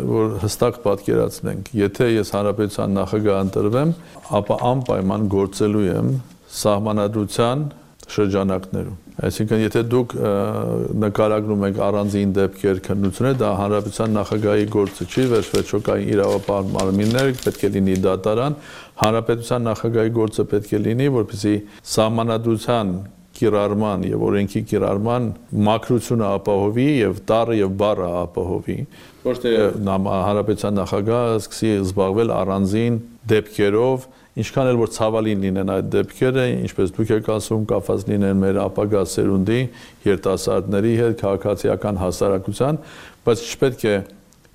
որ հստակ պատկերացնենք, եթե ես հանրապետության նախագահ ընտրվեմ, ապա անպայման գործելու եմ սահմանադրության շրջանակներում։ Այսինքն, եթե դուք նկարագրում եք առանձին դեպքեր, քննություններ, դա հանրապետության նախագահի գործը չի, վերջվերջո կա իրավապահ մարմիններ, պետք է լինի դատարան, հանրապետության նախագահի գործը պետք է լինի, որպեսզի սահմանադրության կիրառման եւ օրենքի կիրառման մակրությունը ապահովի եւ տառը եւ բառը ապահովի, ոչ թե հանրապետության նախագահը սկսի զբաղվել առանձին դեպքերով, ինչքան էլ որ ցավալին լինեն այդ դեպքերը, ինչպես դուք եք ասում, կապված լինեն մեր ապագա սերունդի, երիտասարդների հետ, քաղաքացիական հասարակության, բայց չպետք է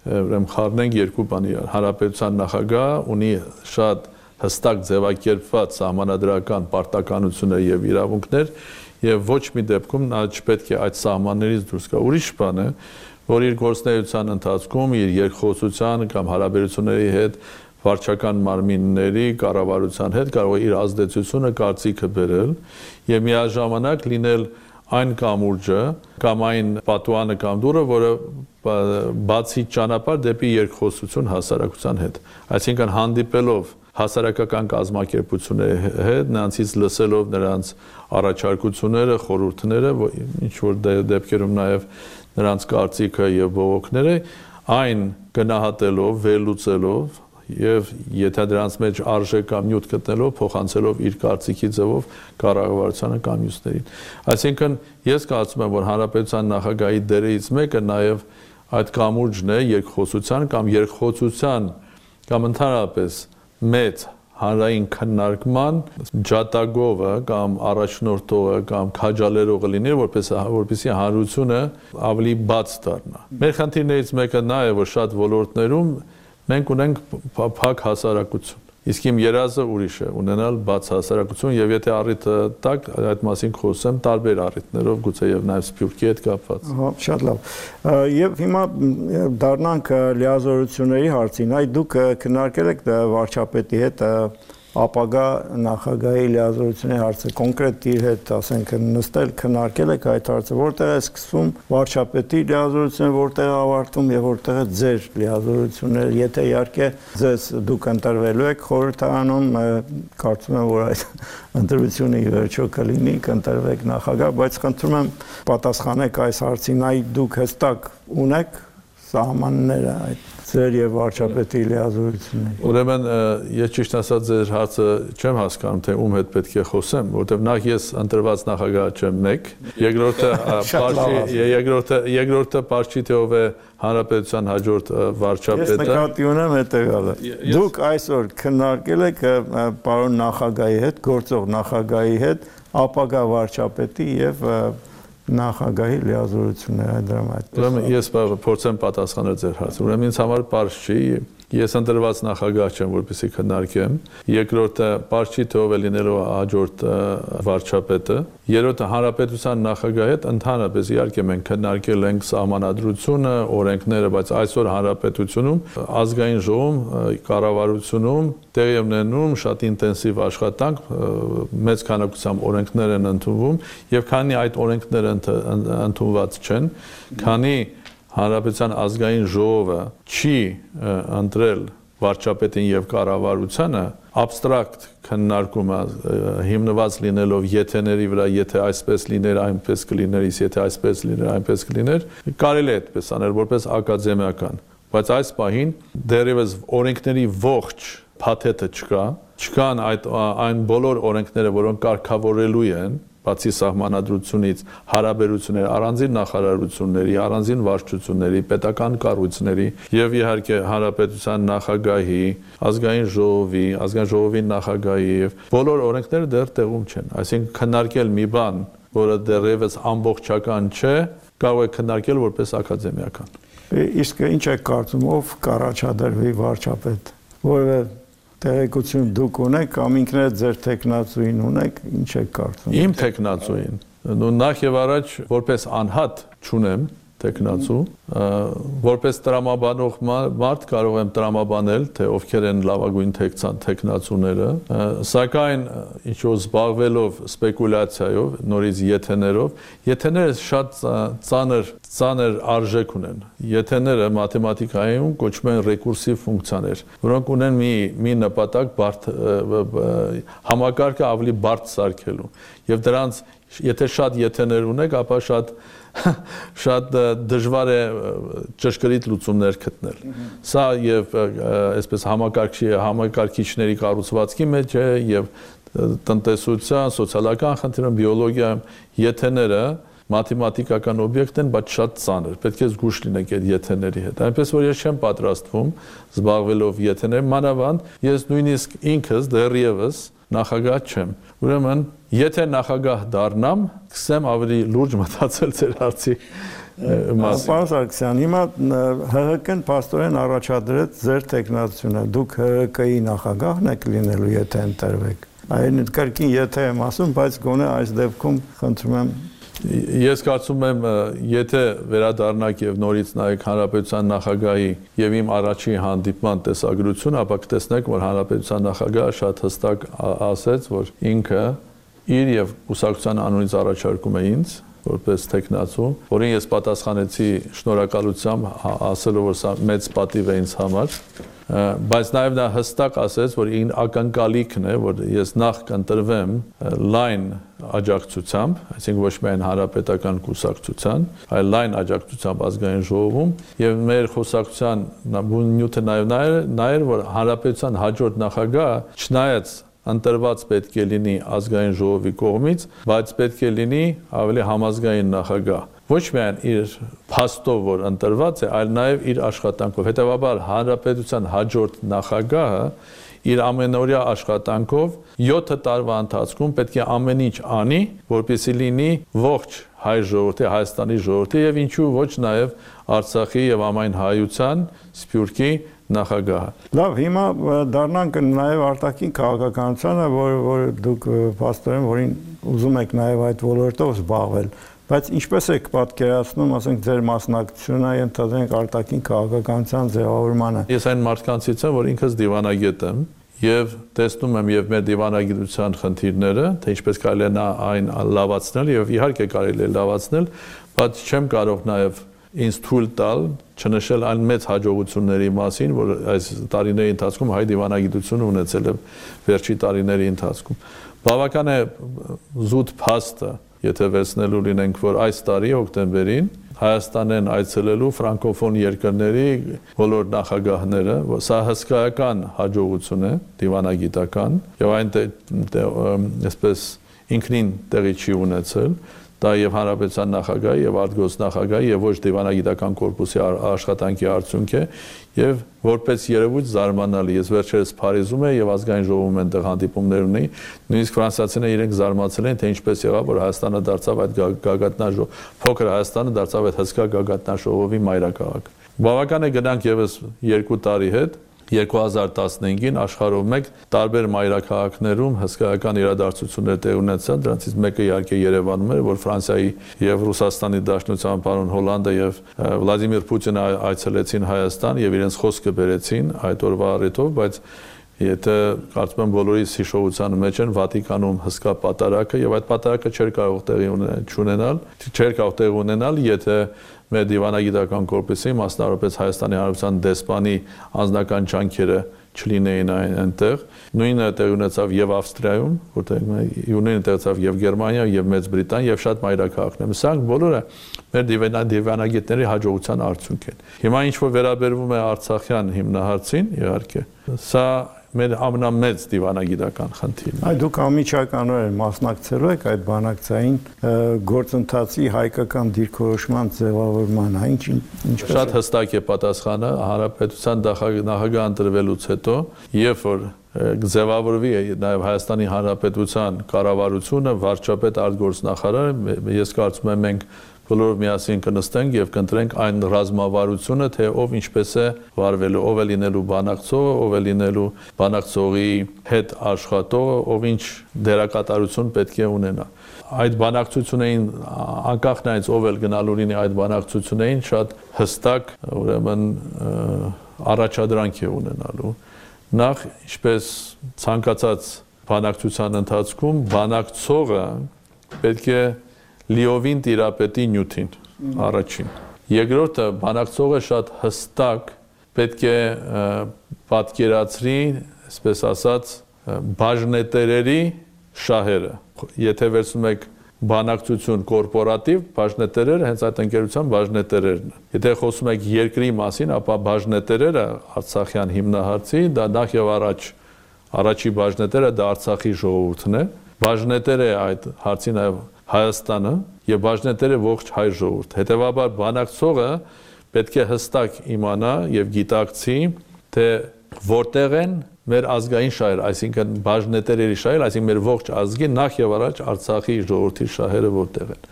ուրեմն խառնենք երկու բանի։ Հանրապետության նախագահը ունի շատ հստակ ձևակերպված սահմանադրական պարտականություններ եւ իրավունքներ եւ ոչ մի դեպքում նա չպետք է այդ սահմաններից դուրս գա։ Ուրիշ բան է, որ իր գործունեության ընթացքում իր երկխոսության կամ հարաբերությունների հետ վարչական մարմինների կառավարության հետ կարող է իր ազդեցությունը կարծիքը բերել եւ միաժամանակ լինել այն կամուրջը կամ այն պատուանը կամ դուռը, որը բացի ճանապարհ դեպի երկխոսություն հասարակության հետ, այսինքն հանդիպելով հասարակական կազմակերպությունների հետ, նրանցից լսելով նրանց առաջարկությունները, խորհուրդները, ինչ որ դեպքերում նաև նրանց կարծիքը եւ բողոքները, այն գնահատելով, վերլուծելով եւ եթե դրանց մեջ արժեք կամ նյութ գտնելով, փոխանցելով իր կարծիքի ձևով կառավարությանը կամ մյուսներին։ Այսինքն ես կարծում եմ, որ հանրապետության նախագահի դերերից մեկը նաև այդ կամուրջն է երկխոսության կամ երկխոսության կամ ընդհանրապես մեծ հանրային քննարկման ջատագովը կամ առաջնորդողը կամ քաջալերողը լինի, որպես որպեսզի հանրությունը ավելի բաց դառնա։ Մեր խնդիրներից մեկը նա է, որ շատ ոլորտներում մենք ունենք փակ հասարակություն։ Իսկ իմ երազը ուրիշ է, ունենալ բաց հասարակություն եւ եթե առիթը տակ այդ մասին խոսեմ տարբեր առիթներով, գուցե եւ նաեւ Սփյուռքի հետ կապված։ Հա, շատ լավ։ Եվ հիմա դառնանք լիազորությունների հարցին։ Այ դուք քննարկել եք վարչապետի հետ ապագա նախագահի լիազորությունների հարցը, կոնկրետ իր հետ, ասենք, նստել քննարկել եք այդ հարցը, որտեղ է սկսվում վարչապետի լիազորությունը, որտեղ է ավարտվում եւ որտեղ է ձեր լիազորությունները, եթե իհարկե ձեզ դուք ընտրվելու եք խորհրդարանում, կարծում եմ, որ այդ ընտրությունը ի վերջո կլինի, կընտրվեք նախագահ, բայց խնդրում եմ պատասխանեք այս հարցին, այ դուք հստակ ունեք սահմանները այդ ձեր եւ վարչապետի լիազորությունների։ Ուրեմն ես ճիշտ ասած ձեր հարցը չեմ հասկանում, թե ում հետ պետք է խոսեմ, որովհետեւ նախ ես ընտրված նախագահ չեմ մեկ, երկրորդը պարչի երկրորդը երկրորդը պարչի թե ով է հանրապետության հաջորդ վարչապետը։ Ես նկատի ունեմ հետեւյալը։ Դուք այսօր քննարկել եք պարոն նախագահի հետ, գործող նախագահի հետ, ապագա վարչապետի եւ նախագահի լիազորությունները դրամ այդպես։ Ուրեմն ես փորձեմ պատասխանել ձեր հարցը։ Ուրեմն ինձ համար պարզ չի, ես ընտրված նախագահ չեմ, որպեսզի քննարկեմ։ Երկրորդը պարզ չի թե ով է լինելու հաջորդ վարչապետը։ Երրորդը հանրապետության նախագահի հետ ընդհանրապես իհարկե մենք քննարկել ենք սահմանադրությունը, օրենքները, բայց այսօր հանրապետությունում ազգային ժողովում, կառավարությունում տեղի է ունենում շատ ինտենսիվ աշխատանք, մեծ քանակությամբ օրենքներ են ընդունվում եւ քանի այդ օրենքները ընդունված չեն, քանի հանրապետության ազգային ժողովը չի ընտրել վարչապետին եւ կառավարությանը, абստրակտ քննարկումը հիմնված լինելով եթեների վրա, եթե այսպես լիներ, այնպես կլիներ, եթե այսպես լիներ, այնպես կլիներ, կարելի է այդպես անել որպես ակադեմիական, բայց այս պահին դեռևս օրենքների ողջ փաթեթը չկա, չկան այդ այն բոլոր օրենքները, որոնք կարգավորելու են բացի սահմանադրությունից հարաբերություններ առանձին նախարարությունների, առանձին վարչությունների, պետական կառույցների եւ իհարկե հանրապետության նախագահի, ազգային ժողովի, ազգային ժողովի նախագահի եւ բոլոր օրենքները դեռ տեղում չեն։ Այսինքն քննարկել մի բան, որը դեռևս ամբողջական չէ, կարող է քննարկել որպես ակադեմիական։ Իսկ ինչ է կարծում, ով կառաջադրվի վարչապետ, որը տեղեկություն դուք ունեք կամ ինքներդ ձեր տեխնացուին ունեք, ինչ եք կարծում։ Իմ տեխնացուին, նախ եւ առաջ որպես անհատ չունեմ տեխնացու, որպես տրամաբանող մարդ կարող եմ տրամաբանել, թե ովքեր են լավագույն տեխնացուները, սակայն ինչ-որ զբաղվելով սպեկուլյացիայով, նորից եթեներով, եթեները շատ ծանր ծանր արժեք ունեն։ Եթեները մաթեմատիկայում կոչվում են ռեկուրսիվ ֆունկցիաներ, որոնք ունեն մի մի նպատակ բարդ համակարգը ավելի բարդ սարքելու։ Եվ դրանց եթե շատ եթեներ ունեք, ապա շատ շատ դժվար է ճշգրիտ լուծումներ գտնել։ Սա եւ այսպես համակարգի համակարգիչների կառուցվածքի մեջ է եւ տնտեսության, սոցիալական խնդիրներում, բիոլոգիայում եթեները մաթեմատիկական օբյեկտ են, բայց շատ ծանր։ Պետք է զգուշ լինեք այդ եթեների հետ։ Այնպես որ ես չեմ պատրաստվում զբաղվելով եթեներ, մանավանդ ես նույնիսկ ինքս դեռևս նախագահ չեմ։ Ուրեմն, եթե նախագահ դառնամ, կսեմ ավելի լուրջ մտածել ձեր հարցի մասին։ Պարոն Սարգսյան, հիմա Հ Հ Կն փաստորեն առաջադրեց ձեր տեխնացությունը։ Դուք Հ Հ Կի նախագահն եք լինելու, եթե ընտրվեք։ Այն կրկին եթե եմ ասում, բայց գոնե այս դեպքում խնդրում եմ Ես կարծում եմ, եթե վերադառնաք եւ նորից նայեք հանրապետության նախագահի եւ իմ առաջի հանդիպման տեսագրությունը, ապա կտեսնեք, որ հանրապետության նախագահը շատ հստակ ասեց, որ ինքը իր եւ կուսակցության անունից առաջարկում է ինձ որպես տեխնացու, որին ես պատասխանեցի շնորհակալությամբ, ասելով, որ սա մեծ պատիվ է ինձ համար, բայց նաև նա հստակ ասեց, որ ին ակնկալիքն է, որ ես նախ կընտրվեմ լայն աջակցությամբ, այսինքն ոչ միայն հանրապետական կուսակցության, այլ լայն աջակցությամբ ազգային ժողովում, եւ մեր խոսակցության նյութը նաև նա էր, որ հանրապետության հաջորդ նախագահը չնայած ընտրված պետք է լինի ազգային ժողովի կողմից, բայց պետք է լինի ավելի համազգային նախագահ։ Ոչ միայն իր փաստով, որ ընտրված է, այլ նաև իր աշխատանքով։ Հետևաբար հանրապետության հաջորդ նախագահը իր ամենօրյա աշխատանքով յոթ տարվա ընթացքում պետք է ամեն ինչ անի, որպեսզի լինի ողջ հայ ժողովրդի, Հայաստանի ժողովրդի եւ ինչու ոչ նաև Արցախի եւ ամայն հայության, Սփյուռքի նախագահը։ Լավ, հիմա դառնանք նաև արտաքին քաղաքականությանը, որ որ դուք փաստորեն որին ուզում եք նաև այդ ոլորտով զբաղվել, բայց ինչպես եք պատկերացնում, ասենք ձեր մասնակցությունը ընդհանրենք արտաքին քաղաքականության ձևավորմանը։ Ես այն մարդկանցից եմ, որ ինքս դիվանագետ եմ եւ տեսնում եմ եւ մեր դիվանագիտության խնդիրները, թե ինչպես կարելի է այն լավացնել եւ իհարկե կարելի է լավացնել, բայց չեմ կարող նաև ինձ թույլ տալ չնշել այն մեծ հաջողությունների մասին, որ այս տարիների ընթացքում հայ դիվանագիտությունը ունեցել է վերջի տարիների ընթացքում։ Բավական է զուտ փաստը, եթե վերցնելու լինենք, որ այս տարի հոկտեմբերին Հայաստանեն այցելելու ֆրանկոֆոն երկրների բոլոր նախագահները, սա հսկայական հաջողություն է, դիվանագիտական, եւ այն այսպես ինքնին տեղի չի ունեցել, դա եւ հանրապետության նախագահի եւ արտգործնախագահի եւ ոչ դիվանագիտական կորպուսի աշխատանքի արդյունք է եւ որպես երևույթ զարմանալի ես վերջերս Փարիզում եմ եւ ազգային ժողովում այնտեղ հանդիպումներ ունեի նույնիսկ ֆրանսիացիները իրենք զարմացել են թե ինչպես եղավ որ Հայաստանը դարձավ այդ գագաթնաժողով փոքր Հայաստանը դարձավ այդ հսկա գագաթնաժողովի մայրաքաղաք բավական է գնանք եւս երկու տարի հետ երկու հազար տասնհինգին աշխարհով մեկ տարբեր մայրաքաղաքներում հսկայական իրադարձություններ տեղ ունեցան դրանցից մեկը իհարկե Երևանում էր որ Ֆրանսիայի եւ Ռուսաստանի Դաշնության պարոն Հոլանդը եւ Վլադիմիր Պուտինը այցելեցին Հայաստան եւ իրենց խոսքը բերեցին այդ օրվա առիթով բայց եթե կարծում եմ բոլորիս հիշողության մեջ են Վատիկանում հսկա պատարագը եւ այդ պատարագը չէր կարող տեղի ունենալ չէր կարող տեղի ունենալ եթե մեր դիվանագիտական կորպուսի մասնավորապես Հայաստանի Հանրապետության դեսպանի անձնական ջանքերը չլինեին այնտեղ նույնը տեղի ունեցավ եւ Ավստրիայում որտեղ նույնը տեղացավ եւ Գերմանիա եւ Մեծ Բրիտանիա եւ շատ մայրաքաղաքներ սրանք բոլորը մեր դիվանագիտների հաջողության արդյունք են հիմա ինչ որ վերաբերվում է Արցախյան հիմնահարցին իհարկե սա մեր ամենամեծ դիվանագիտական խնդիրն է։ Այ դուք անմիջականորեն մասնակցելու եք այդ բանակցային գործընթացի հայկական դիրքորոշման ձևավորման, այն ինչպես շատ հստակ է պատասխանը հանրապետության նախագահ ընտրվելուց հետո, երբ որ ձևավորվի նաև Հայաստանի Հանրապետության կառավարությունը, վարչապետ արտգործնախարար, ես կարծում եմ մենք բոլորով միասին կնստենք եւ կընտրենք այն ռազմավարությունը, թե ով ինչպես է վարվելու, ով է լինելու բանակցողը, ով է լինելու բանակցողի հետ աշխատողը, ով ինչ դերակատարություն պետք է ունենա։ Այդ բանակցություններին անկախ նայած ով էլ գնալու լինի այդ բանակցություններին շատ հստակ, ուրեմն առաջադրանք է ունենալու։ Նախ ինչպես ցանկացած բանակցության ընթացքում բանակցողը պետք է լիովին տիրապետի նյութին առաջին երկրորդը բանակցողը շատ հստակ պետք է պատկերացրի այսպես ասած բաժնետերերի շահերը եթե վերցնում եք բանակցություն կորպորատիվ բաժնետերերը հենց այդ ընկերության բաժնետերերն են եթե խոսում եք երկրի մասին ապա բաժնետերերը Արցախյան հիմնահարցի դա նախ եւ առաջ առաջի բաժնետերը դա Արցախի ժողովուրդն է բաժնետերը այդ հարցի նաեւ Հայաստանը եւ բաժնետերը ողջ հայ ժողովուրդ։ Հետևաբար բանակցողը պետք է հստակ իմանա եւ գիտակցի, թե որտեղ են մեր ազգային շահերը, այսինքն բաժնետերերի շահերը, այսինքն մեր ողջ ազգի նախ եւ առաջ Արցախի ժողովրդի շահերը որտեղ են։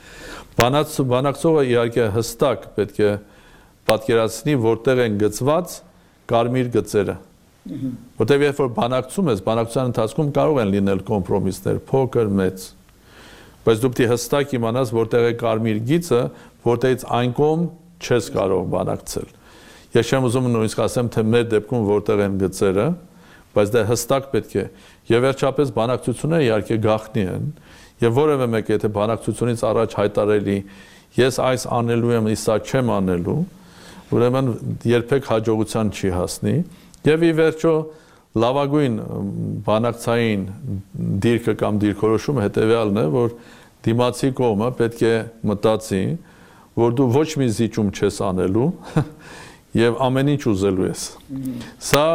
Բանակցողը իհարկե հստակ պետք է պատկերացնի, որտեղ են գծված կարմիր գծերը։ Որտեղ երբ որ բանակցում ես, բանակցության ընթացքում կարող են լինել կոմպրոմիսներ, փոքր, մեծ բայց դու պետք է հստակ իմանաս որտեղ է կարմիր գիծը, որտեղից այն կողմ չես կարող բանակցել։ Ես չեմ ուզում նույնիսկ ասեմ, թե մեր դեպքում որտեղ են գծերը, բայց դա հստակ պետք է։ Եվ վերջապես բանակցությունները իհարկե գաղտնի են, եւ որևէ մեկը եթե բանակցությունից առաջ հայտարարելի ես այս անելու եմ, իսկ սա չեմ անելու, ուրեմն երբեք հաջողության չի հասնի։ Եվ ի վերջո լավագույն բանակցային դիրքը կամ դիրքորոշումը հետևյալն է, որ դիմացի կողմը պետք է մտածի, որ դու ոչ մի զիջում չես անելու եւ ամեն ինչ ուզելու ես։ Սա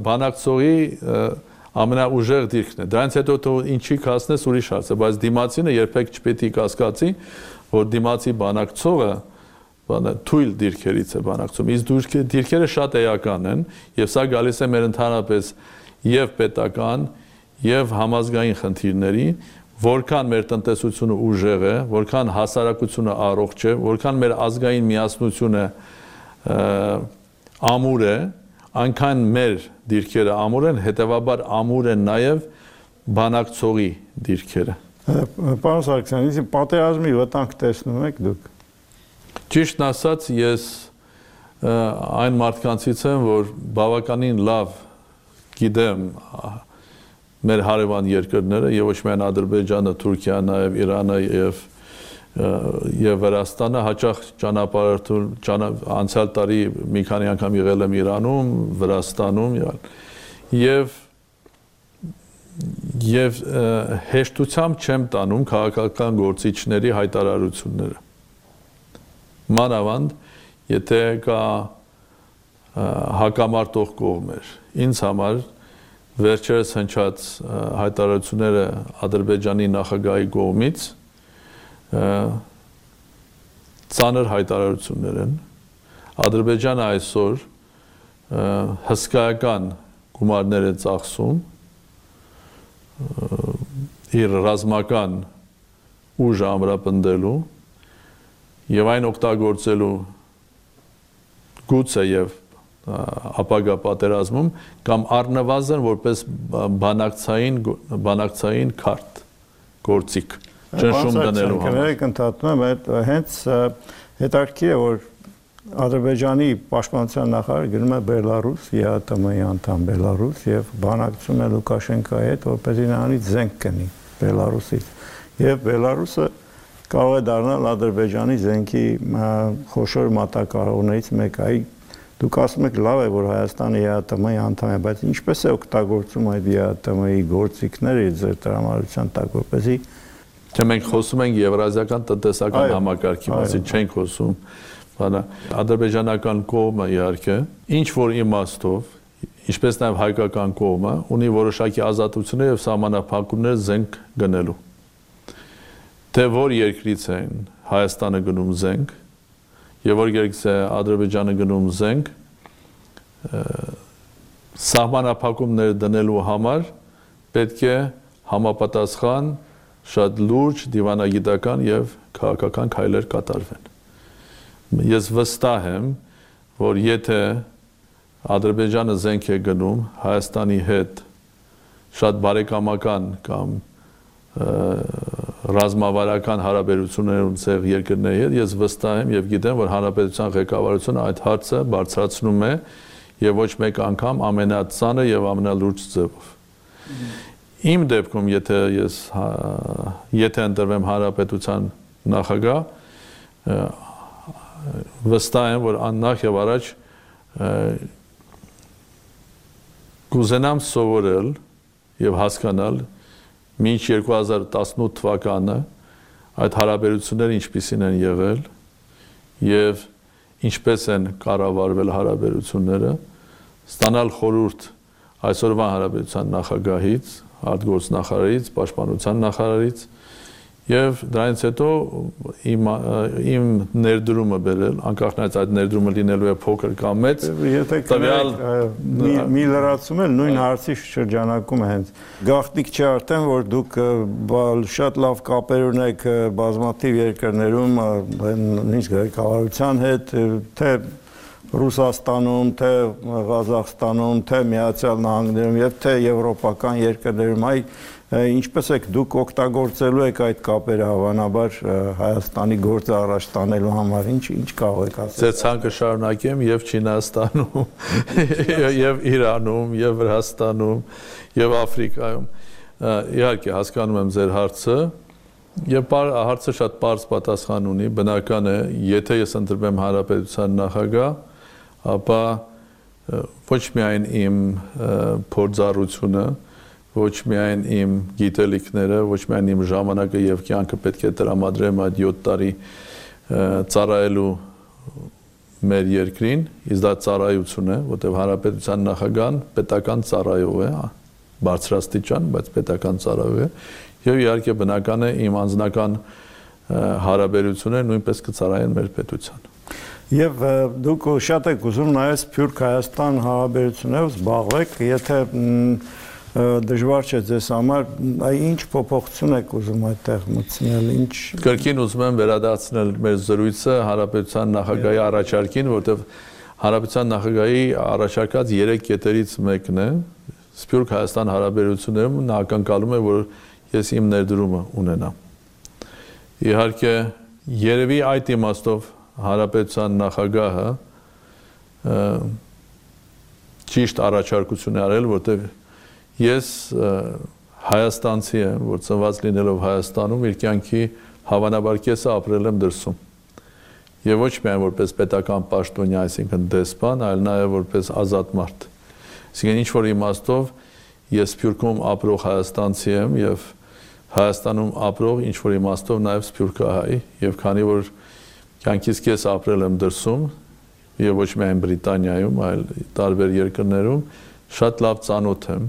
բանակցողի ամենաուժեղ դիրքն է։ Դրանից հետո դու ինչի կասնես ուրիշ հարց է, բայց դիմացինը երբեք չպետք է կասկածի, որ դիմացի բանակցողը թույլ դիրքերից է բանակցում։ Իսկ դիրքերը շատ էական են եւ սա գալիս է մեր ընդհանրապես եւ պետական եւ համազգային խնդիրների, որքան մեր տնտեսությունը ուժեղ է, որքան հասարակությունը առողջ է, որքան մեր ազգային միասնությունը ամուր է, այնքան մեր դիրքերը ամուր են, հետեւաբար ամուր են նաեւ բանակցողի դիրքերը։ Պարոն Սարգսյան, իսկ պատերազմի վտանգ տեսնում եք դուք։ Ճիշտն ասած, ես այն մարդկանցից եմ, որ բավականին լավ գիտեմ մեր հարևան երկրները եւ ոչ միայն Ադրբեջանը, Թուրքիան, նաեւ Իրանը եւ եւ Վրաստանը հաճախ ճանապարհորդում անցյալ տարի մի քանի անգամ եղել եմ Իրանում, Վրաստանում եւ Եվ հեշտությամբ չեմ տանում քաղաքական գործիչների հայտարարությունները։ Մանավանդ, եթե կա հակամարտող կողմեր։ Ինձ համար վերջերս հնչած հայտարարությունները Ադրբեջանի նախագահի կողմից ծանր հայտարարություններ են։ Ադրբեջանը այսօր հսկայական գումարներ է ծախսում իր ռազմական ուժը ամրապնդելու եւ այն օգտագործելու գուցե եւ ապագա պատերազմում կամ առնվազն որպես բանակցային բանակցային քարտ գործիք ճնշում դնելու համար։ Կընդհատում եմ, հենց հետաքրքիր է, որ Ադրբեջանի պաշտպանության նախարարը գնում է Բելարուս, ԵԱՏՄ-ի անդամ Բելարուս եւ բանակցում է Լուկաշենկոյի հետ, որպեսզի նրանից զենք կնի Բելարուսից։ Եվ Բելարուսը կարող է դառնալ Ադրբեջանի զենքի խոշոր մատակարարներից մեկը։ Այ դուք ասում եք լավ է, որ Հայաստանը ԵԱՏՄ-ի անդամ է, բայց ինչպես է օգտագործում այդ ԵԱՏՄ-ի գործիքները ձեր տրամադրության տակ, որպեսզի Թե մենք խոսում ենք Եվրազիական տնտեսական համակարգի մասին, չենք խոսում Ադրբեջանական կողմը իհարկե ինչ որ իմաստով, ինչպես նաև հայկական կողմը ունի որոշակի ազատություններ եւ սահմանափակումներ զենք գնելու։ Թե որ երկրից են Հայաստանը գնում զենք եւ որ երկրից է Ադրբեջանը գնում զենք, սահմանափակումներ դնելու համար պետք է համապատասխան շատ լուրջ դիվանագիտական եւ քաղաքական քայլեր կատարվեն։ Ես վստահ եմ, որ եթե Ադրբեջանը զենք է գնում Հայաստանի հետ շատ բարեկամական կամ ռազմավարական հարաբերություններ ունեցող երկրների հետ, ես վստահ եմ եւ գիտեմ, որ հանրապետության ղեկավարությունը այդ հարցը բարձրացնում է եւ ոչ մեկ անգամ ամենածանր եւ ամենալուրջ ձևով։ Իմ դեպքում, եթե ես եթե ընտրվեմ հանրապետության նախագահ, վստահ եմ, որ աննախ եւ առաջ կուզենամ սովորել եւ հասկանալ մինչ երկու հազար տասնութ թվականը այդ հարաբերությունները ինչպիսին են եղել եւ ինչպես են կառավարվել հարաբերությունները, ստանալ խորհուրդ այսօրվա հանրապետության նախագահից, արտգործնախարարից, պաշտպանության նախարարից եւ դրանից հետո իմ իմ ներդրումը բերել, անկախ նայած այդ ներդրումը լինելու է փոքր կամ մեծ, տվյալ մի լրացում էլ նույն հարցի շրջանակում է հենց գաղտնիք չէ արդեն, որ դուք շատ լավ կապեր ունեք բազմաթիվ երկրներում, նույնիսկ ղեկավարության հետ, թե Ռուսաստանում, թե Ղազախստանում, թե Միացյալ Նահանգներում եւ թե եվրոպական երկրներում, այ ինչպես եք դուք օգտագործելու եք այդ կապերը հավանաբար Հայաստանի գործը առաջ տանելու համար, ինչ ինչ կարող եք ասել։ Ձեր ցանկը շարունակեմ եւ Չինաստանում, եւ Իրանում, եւ Վրաստանում, եւ Աֆրիկայում։ Իհարկե հասկանում եմ ձեր հարցը եւ հարցը շատ պարզ պատասխան ունի, բնական է, եթե ես ընտրվեմ հանրապետության նախագահ, ապա ոչ միայն իմ փորձառությունը, ոչ միայն իմ գիտելիքները, ոչ միայն իմ ժամանակը եւ կյանքը պետք է տրամադրեմ այդ յոթ տարի ծառայելու մեր երկրին, իսկ դա ծառայություն է, որտեղ հանրապետության նախագահան պետական ծառայող է, բարձրաստիճան, բայց պետական ծառայող է, եւ իհարկե բնական է իմ անձնական հարաբերությունները նույնպես կծառայեն մեր պետության։ Եվ դուք շատ եք ուզում նայես Սփյուռք Հայաստան հարաբերություններով զբաղվեք, եթե դժվար չէ ձեզ համար, այ ինչ փոփոխություն եք ուզում այդտեղ մտցնել, ինչ Կրկին ուզում եմ վերադարձնել մեր զրույցը հանրապետության նախագահի առաջարկին, որտեղ հանրապետության նախագահի առաջարկած երեք կետերից մեկն է, Սփյուռք Հայաստան հարաբերություններում նա ակնկալում է, որ ես իմ ներդրումը ունենամ։ Իհարկե, երևի այդ իմաստով հանրապետության նախագահը ճիշտ առաջարկություն է արել, որտեղ ես հայաստանցի եմ, որ ծնված լինելով Հայաստանում իր կյանքի հավանաբար կեսը ապրել եմ դրսում։ Եվ ոչ միայն որպես պետական պաշտոնյա, այսինքն դեսպան, այլ նաև որպես ազատ մարդ։ Այսինքն ինչ որ իմաստով ես Սփյուռքում ապրող հայաստանցի եմ եւ Հայաստանում ապրող ինչ որ իմաստով նաեւ սփյուռքահայ եւ քանի որ կյանքից կես ապրել եմ դրսում եւ ոչ միայն Բրիտանիայում, այլ տարբեր երկրներում շատ լավ ծանոթ եմ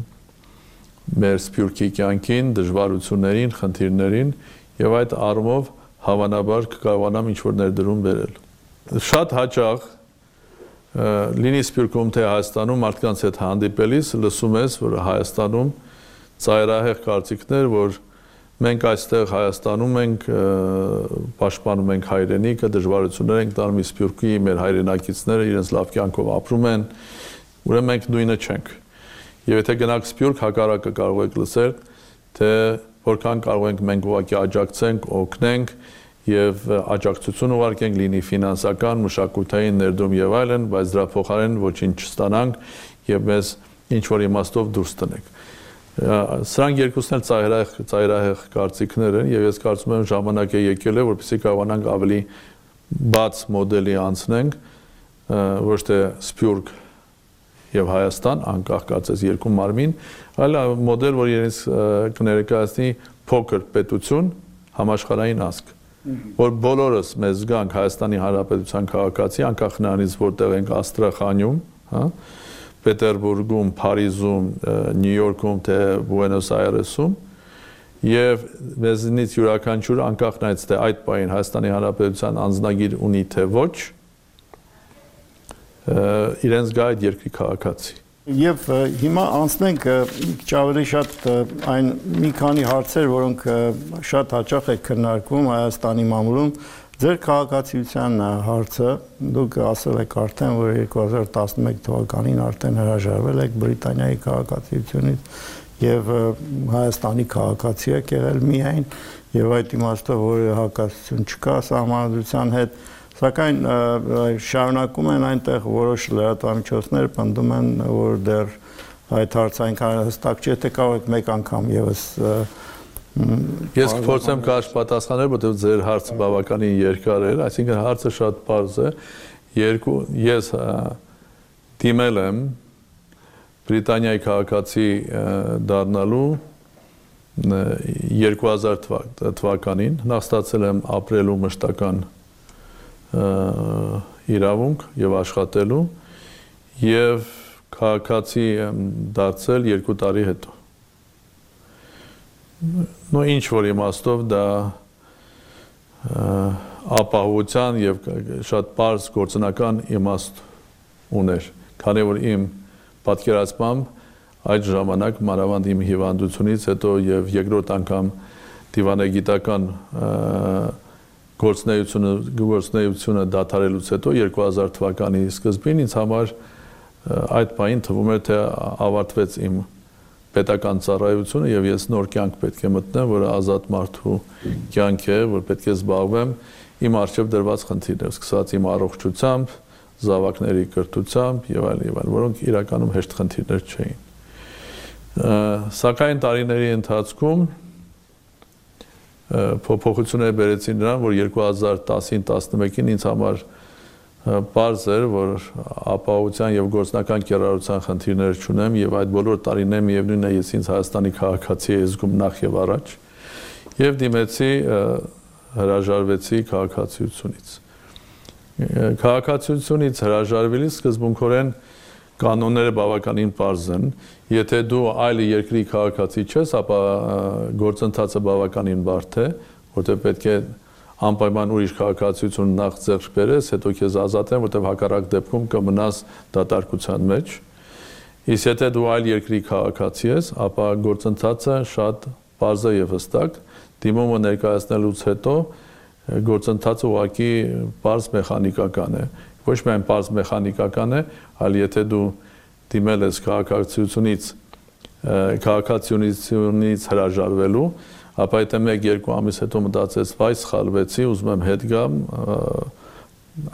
մեր սփյուռքի կյանքին, դժվարություններին, խնդիրներին եւ այդ առումով հավանաբար կկարողանամ ինչ որ ներդրում բերել։ Շատ հաճախ լինի Սփյուռքում թե Հայաստանում մարդկանց հետ հանդիպելիս լսում ես, որ Հայաստանում ծայրահեղ կարծիքներ, որ մենք այստեղ Հայաստանում ենք պաշտպանում ենք հայրենիքը, դժվարություններ ենք տանում Սփյուռքի, մեր հայրենակիցները իրենց լավ կյանքով ապրում են, ուրեմն մենք նույնը չենք։ Եվ եթե գնաք Սփյուռք, հակառակը կարող եք լսել, թե որքան կարող ենք մենք ուղղակի աջակցենք, օգնենք եւ աջակցություն ուղարկենք, լինի ֆինանսական, մշակութային ներդրում եւ այլն, բայց դրա փոխարեն ոչինչ չստանանք եւ մեզ ինչ որ իմաստով դուրս տնենք։ Սրանք երկուսն էլ ծայրահեղ ծայրահեղ կարծիքներ են եւ ես կարծում եմ ժամանակ է եկել է, որպեսզի կարողանանք ավելի բաց մոդելի անցնենք, ոչ թե Սփյուռք եւ Հայաստան, անկախ կարծես երկու մարմին, այլ մոդել, որ իրենց կներկայացնի փոքր պետություն, համաշխարհային ազգ, որ բոլորս մեզ զգանք Հայաստանի Հանրապետության քաղաքացի, անկախ նրանից որտեղ ենք Աստրախանում, հա, Պետերբուրգում, Փարիզում, Նյու Յորքում, թե Բուենոս Այրեսում, եւ մեզնից յուրաքանչյուր անկախ նրանից թե այդ պահին Հայաստանի Հանրապետության անձնագիր ունի թե ոչ, իրենց գա այդ երկրի քաղաքացի։ Եվ հիմա անցնենք քիչ ավելի շատ այն մի քանի հարցեր, որոնք շատ հաճախ է քննարկվում Հայաստանի մամուլում, ձեր քաղաքացիության հարցը, դուք ասել եք արդեն, որ երկու հազար տասնմեկ թվականին արդեն հրաժարվել եք Բրիտանիայի քաղաքացիությունից եւ Հայաստանի քաղաքացի եք եղել միայն, եւ այդ իմաստով որ հակասություն չկա սահմանադրության հետ, սակայն շարունակում են այնտեղ որոշ լրատվամիջոցներ պնդում են, որ դեռ այդ հարցը այնքան հստակ չէ, թե կարող եք մեկ անգամ եւս Ես կփորձեմ կարճ պատասխանել, որտեղ ձեր հարցը բավականին երկար էր, այսինքն հարցը շատ պարզ է։ Երկու ես դիմել եմ Բրիտանիայի քաղաքացի դառնալու երկու հազար թվականին, նախ ստացել եմ ապրելու մշտական իրավունք եւ աշխատելու եւ քաղաքացի եմ դարձել երկու տարի հետո։ Նո ինչ որ իմաստով դա ապահովության եւ շատ པարզ գործնական իմաստ ուներ, քանի որ իմ պատկերացմամբ այդ ժամանակ մանավանդ իմ հիվանդությունից հետո եւ երկրորդ անգամ դիվանագիտական գործունեությունը գործունեությունը դադարելուց հետո երկու հազար թվականի սկզբին ինձ համար այդ պահին թվում էր թե ավարտվեց իմ պետական ծառայությունը եւ ես նոր կյանք պետք է մտնեմ, որը ազատ մարդու կյանք է, որ պետք է զբաղվեմ իմ առջև դրված խնդիրներով, սկսած իմ առողջությամբ, զավակների կրթությամբ եւ այլ եւ այլ, որոնք իրականում հեշտ խնդիրներ չէին։ Սակայն տարիների ընթացքում փոփոխություններ բերեցին նրան, որ երկու հազար տասին տասնմեկին ինձ համար պարզ էր, որ ապահովության եւ գործնական կիրառության խնդիրներ չունեմ եւ այդ բոլոր տարիներում միևնույն է ես ինձ Հայաստանի քաղաքացի էի զգում նախ եւ առաջ եւ դիմեցի հրաժարվեցի քաղաքացիությունից։ Քաղաքացիությունից հրաժարվելիս սկզբունքորեն կանոնները բավականին պարզ են։ Եթե դու այլ երկրի քաղաքացի չես, ապա գործընթացը բավականին բարդ է, որտեղ պետք է անպայման ուրիշ քաղաքացիություն նախ ձեռք բերես, հետո քեզ ազատեն, որտեղ հակառակ դեպքում կմնաս դատարկության մեջ։ Իսկ եթե դու այլ երկրի քաղաքացի ես, ապա գործընթացը շատ պարզ է եւ հստակ, դիմումը ներկայացնելուց հետո գործընթացը ուղղակի պարզ մեխանիկական է։ Ոչ միայն պարզ մեխանիկական է, այլ եթե դու դիմել ես քաղաքացիությունից քաղաքացիությունից հրաժարվելու, ապա եթե մեկ-երկու ամիս հետո մտածես, վայ, սխալվեցի, ուզում եմ հետ գամ,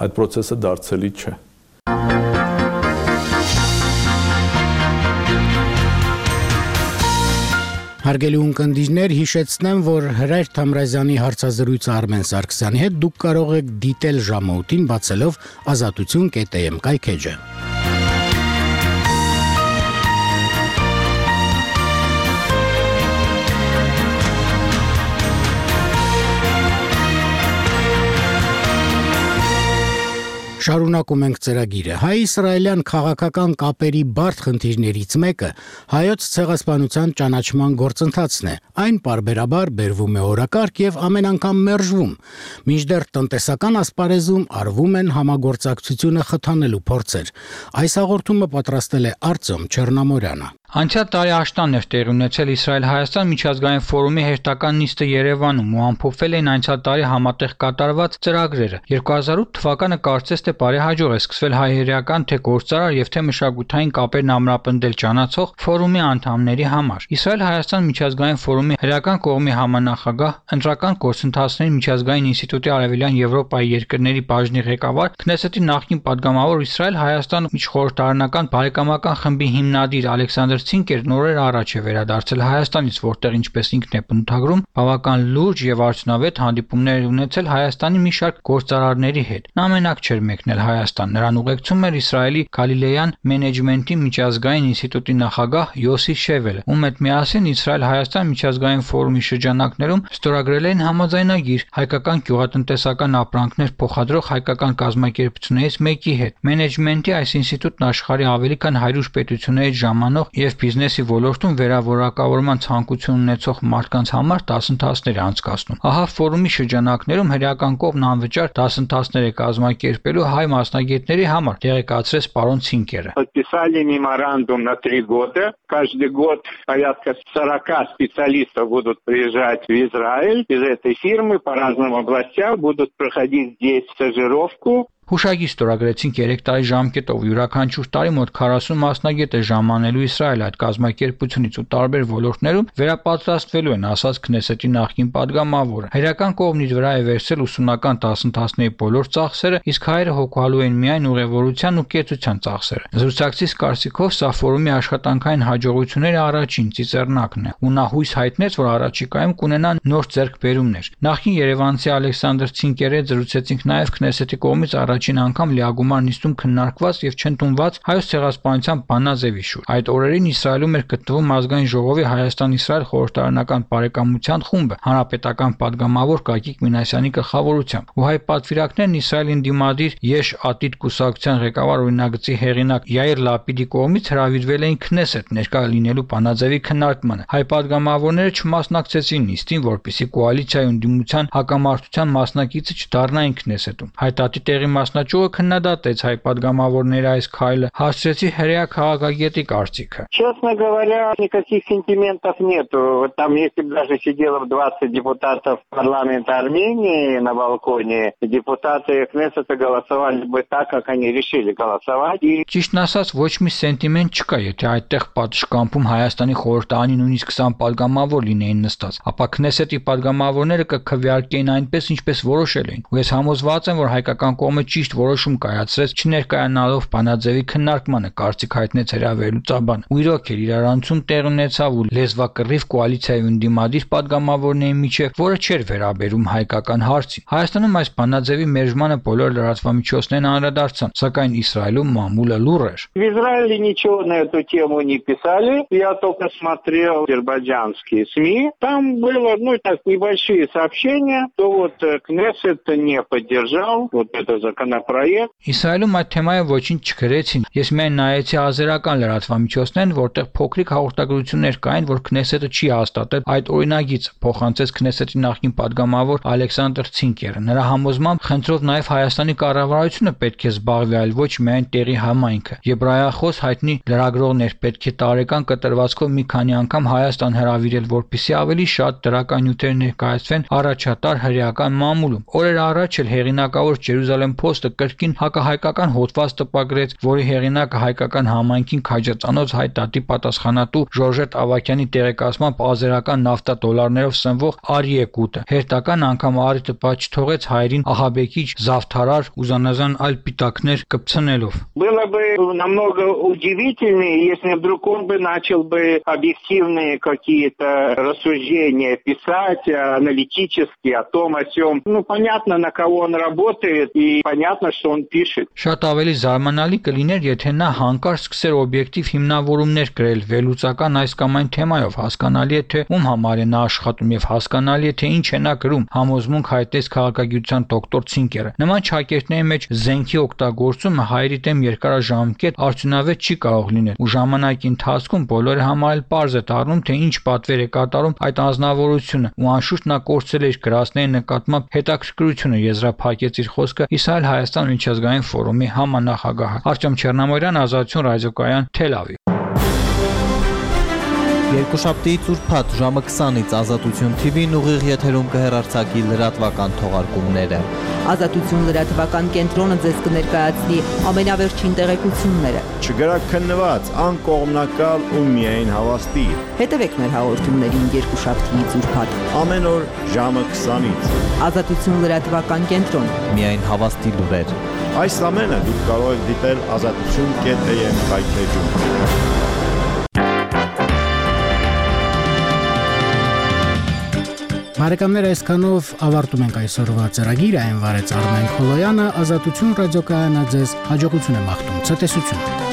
այդ process-ը դարձելի չէ։ Հարգելի ունկնդիրներ, հիշեցնեմ, որ Հրայր Թամրազյանի հարցազրույցը Արմեն Սարգսյանի հետ դուք կարող եք դիտել ժամօդին բացելով ազատություն կետ է էմ կայքեջը։ Շարունակում ենք ծրագիրը։ Հայ-իսրայելյան քաղաքական կապերի բարդ խնդիրներից մեկը հայոց ցեղասպանության ճանաչման գործընթացն է։ Այն պարբերաբար բերվում է օրակարգ եւ ամեն անգամ մերժվում։ Մինչդեռ տնտեսական ասպարեզում արվում են համագործակցությունը խթանելու փորձեր։ Այս հաղորդումը պատրաստել է Արտյոմ Չեռնամորյանը։ Անցյալ տարի աշտանն էր տեղի ունեցել Իսրայել-Հայաստան միջազգային ֆորումի հերթական նիստը Երևանում ու ամփոփվել էին անցյալ տարի համատեղ կատարված ծրագրերը։ երկու հազար ութ թվականը կարծես թե բարեհաջող է սկսվել հայ-հերեական թե գործարար եւ թե մշակութային կապերն ամրապնդել ճանաչող ֆորումի անդամների համար։ Իսրայել-Հայաստան միջազգային ֆորումի հերական կողմի համանախագահ, ընտրական գործընթացների միջազգային ինստիտուտի Արևելյան Եվրոպայի երկրների բաժնի ղեկավար, Քնեսեթի նախկին падգամավոր Իսրայել-Հայաստան միջխորհրդարանական բարեկամական խմբի հիմնադիր Ալեքսանդր Ցինկերն օրեր առաջ է վերադարձել Հայաստանից, որտեղ ինչպես ինքն է բնութագրում, բավական լուրջ եւ արդյունավետ հանդիպումներ ունեցել Հայաստանի մի շարք գործարարների հետ։ Նա մենակ չէր մեկնել Հայաստան, նրան ուղեկցում էր Իսրայելի Գալիլեյան մենեջմենթի միջազգային ինստիտուտի նախագահ Յոսի Շևելը, ում հետ միասին Իսրայել-Հայաստան միջազգային ֆորումի շրջանակներում ստորագրել էին համաձայնագիր հայկական գյուղատնտեսական ապրանքներ փոխադրող հայկական կազմակերպություններից մեկի հետ։ Մենեջմենթի այս ինստիտուտն աշխարհի ավելի քան հարյուր պետություններից ժամանող եւ բիզնեսի ոլորտում վերավորակավորման ցանկություն ունեցող մարդկանց համար դասընթացներ է անցկացնում։ Ահա ֆորումի շրջանակներում հերական կողմն անվճար դասընթացներ է կազմակերպելու հայ մասնագետների համար, տեղեկացրեց պարոն Ցինկերը։ Подписали меморандум на три года. Каждый год порядка сорока специалистов будут приезжать в Израиль из этой фирмы по разным областям, будут проходить здесь стажировку. Հուշագիր ստորագրեցինք երեք տարի ժամկետով յուրաքանչյուր տարի մոտ քառասուն մասնագետ է ժամանելու Իսրայել այդ կազմակերպությունից ու տարբեր ոլորտներում վերապատրաստվելու են, ասաց Քնեսեթի նախկին падգամավորը։ Հայրական կողմից վրա է վերցել ուսումնական դասընթացների բոլոր ծախսերը, իսկ հայերը հոգալու են միայն ուղևորության ու կեցության ծախսերը։ Զրուցակցից կարծիքով սա ֆորումի աշխատանքային հաջողությունների առաջին ծիծեռնակն է, ու նա հույս հայտնեց, որ առաջիկայում կունենան նոր ձեռքբերումներ։ Նախկին երևանցի Ալեքսանդր Ցինկերի հետ զրուցեցինք նաև Քնեսեթի կողմից առաջին անգամ լիագումար նիստում քննարկված եւ չընդունված հայոց ցեղասպանության բանաձևի շուրջ։ Այդ օրերին Իսրայելում էր գտնվում ազգային ժողովի Հայաստան-Իսրայել խորհրդարանական բարեկամության խումբը հանրապետական падգամավոր Գագիկ Մինասյանի գլխավորությամբ։ Ու հայ պատվիրակներն Իսրայելին դիմադիր Եշ Ատիդ կուսակցության ղեկավար օրինագծի հեղինակ Յայիր Լապիդի կողմից հրավիրվել էին Քնեսեթ ներկա լինելու բանաձևի քննարկմանը։ Հայ падգամավորները չմասնակցեցին նիստին, որպեսզի կոալիցիայի ընդդիմության հակամարտության մասնակիցը չդառնային Քնեսեթում։ Հայտարարի տեղի մասնաճյուղը քննադատեց հայ падգամավորների այս քայլը, հասցրեցի հրեա քաղաքագետի կարծիքը։ Честно говоря, никаких сентиментов нету. Вот там, если бы даже сидело двадцать депутатов парламента Армении на балконе, депутаты Кнессета голосовали бы так, как они решили голосовать. Ճիշտն ասած, ոչ մի սենտիմենտ չկա, եթե այդտեղ պատշգամբում Հայաստանի խորհրդարանի նույնիսկ քսան падգամավոր լինեին նստած, ապա Քնեսետի падգամավորները կքվեարկեին այնպես, ինչպես որոշել էին։ Ու ես համոզված եմ, որ հայկական կողմը ճիշտ որոշում կայացրեց, չներկայանալով բանաձևի քննարկմանը, կարծիք հայտնեց հրավերլուծաբանը։ Ու իրոք էր իրարանցում տեղ ունեցավ ու լեզվակռիվ կոալիցիայի ընդդիմադիր падգամավորների միջև, որը չէր վերաբերում հայկական հարցին։ Հայաստանում այս բանաձևի մերժմանը բոլոր լրատվամիջոցներն անդրադարձան, сакայն Իսրայելում մամուլը լուռ էր։ В Израиле ничего на эту тему не писали. Я только смотрел азербайджанские СМИ. Там было, ну, так, небольшие сообщения, что вот Кнессет не поддержал вот это законопроект. Իսրայելում այդ թեմայը ոչինչ չգրեցին։ Ես միայն նայեցի ազերական լրատվամիջոցներն, որտեղ փոքրիկ հաղորդագրություններ կային, որ Քնեսետը չի հաստատել այդ օրինագիծը, փոխանցեց Քնեսետի նախկին падգամավոր Ալեքսանդր Ցինկերը։ Նրա համոզմամբ խնդրով նաև Հայաստանի կառավարությունը պետք է զբաղվի, այլ ոչ միայն տեղի համայնքը։ Եբրայախոս հայտնի լրագրողներ պետք է տարեկան կտրվածքով մի քանի անգամ Հայաստան հրավիրել, որպեսզի ավելի շատ դրական նյութեր ներկայացվեն առաջատար հրեական մամուլում։ Օրեր առաջ էլ հեղինակավոր Jerusalem Post-ը կրկին հակահայկական հոդված տպագրեց, որի հեղինակը հայկական համայնքին քաջածանոց հայ դատի պատասխանատու Ժորժետ Ավակյանի տեղեկացմամբ ազերական նավթա դոլարներով սնվող Արիեկուտը հերթական անգամ առիթը բաց չթողեց հայերին ահաբեկիչ, զավթարար ու զանազան այլ պիտակներ կպցնելով։ Было бы намного удивительнее, если вдруг он бы начал бы объективные какие-то рассуждения писать, аналитически о том, о сём. Ну, понятно, на кого он работает, и понятно, понятно, что он пишет. Շատ ավելի զարմանալի կլիներ, եթե նա հանկարծ սկսեր օբյեկտիվ հիմնավորումներ գրել վերլուծական այս կամ այն թեմայով, հասկանալի է թե ում համար է նա աշխատում եւ հասկանալի է թե ինչ է նա գրում, համոզմունք հայտնեց քաղաքագիտության դոկտոր Ցինկերը։ Նման ճակերտների մեջ զենքի օգտագործումը հայերի դեմ երկարաժամկետ արդյունավետ չի կարող լինել, ու ժամանակի ընթացքում բոլորը համար էլ պարզ է դառնում, թե ինչ պատվեր է կատարում այդ անձնավորությունը, ու անշուշտ նա կորցրել իր գրածների նկատմամբ հետաքրքրությունը, եզրափակեց իր խոսքը Իսրայել-Հայաստան միջազգային ֆորումի համանախագահը Արտյոմ Չեռնամորյան, Ազատություն ռադիոկայան, Թել Ավիվ։ Երկուշաբթի ծուրփաթ ժամը քսանից Ազատություն թի վին ուղիղ եթերում կհեռարձակի լրատվական թողարկումները։ Ազատություն լրատվական կենտրոնը ձեզ կներկայացնի ամենավերջին տեղեկությունները։ Չգրակ քննված, անկողմնակալ ու միայն հավաստի։ Հետևեք մեր հաղորդումներին երկուշաբթի ծուրփաթ Ամեն օր ժամը քսանից։ Ազատություն լրատվական կենտրոն։ Միայն հավաստի լուրեր։ Այս ամենը դուք կարող եք դիտել ազատություն կետ էյ էմ հայթեջում։ Բարեկամներ, այսքանով ավարտում ենք այսօրվա ծրագիրը, այն վարեց Արմեն Խոլոյանը, Ազատություն ռադիոկայանը ձեզ հաջողություն է մաղթում, ցտեսություն։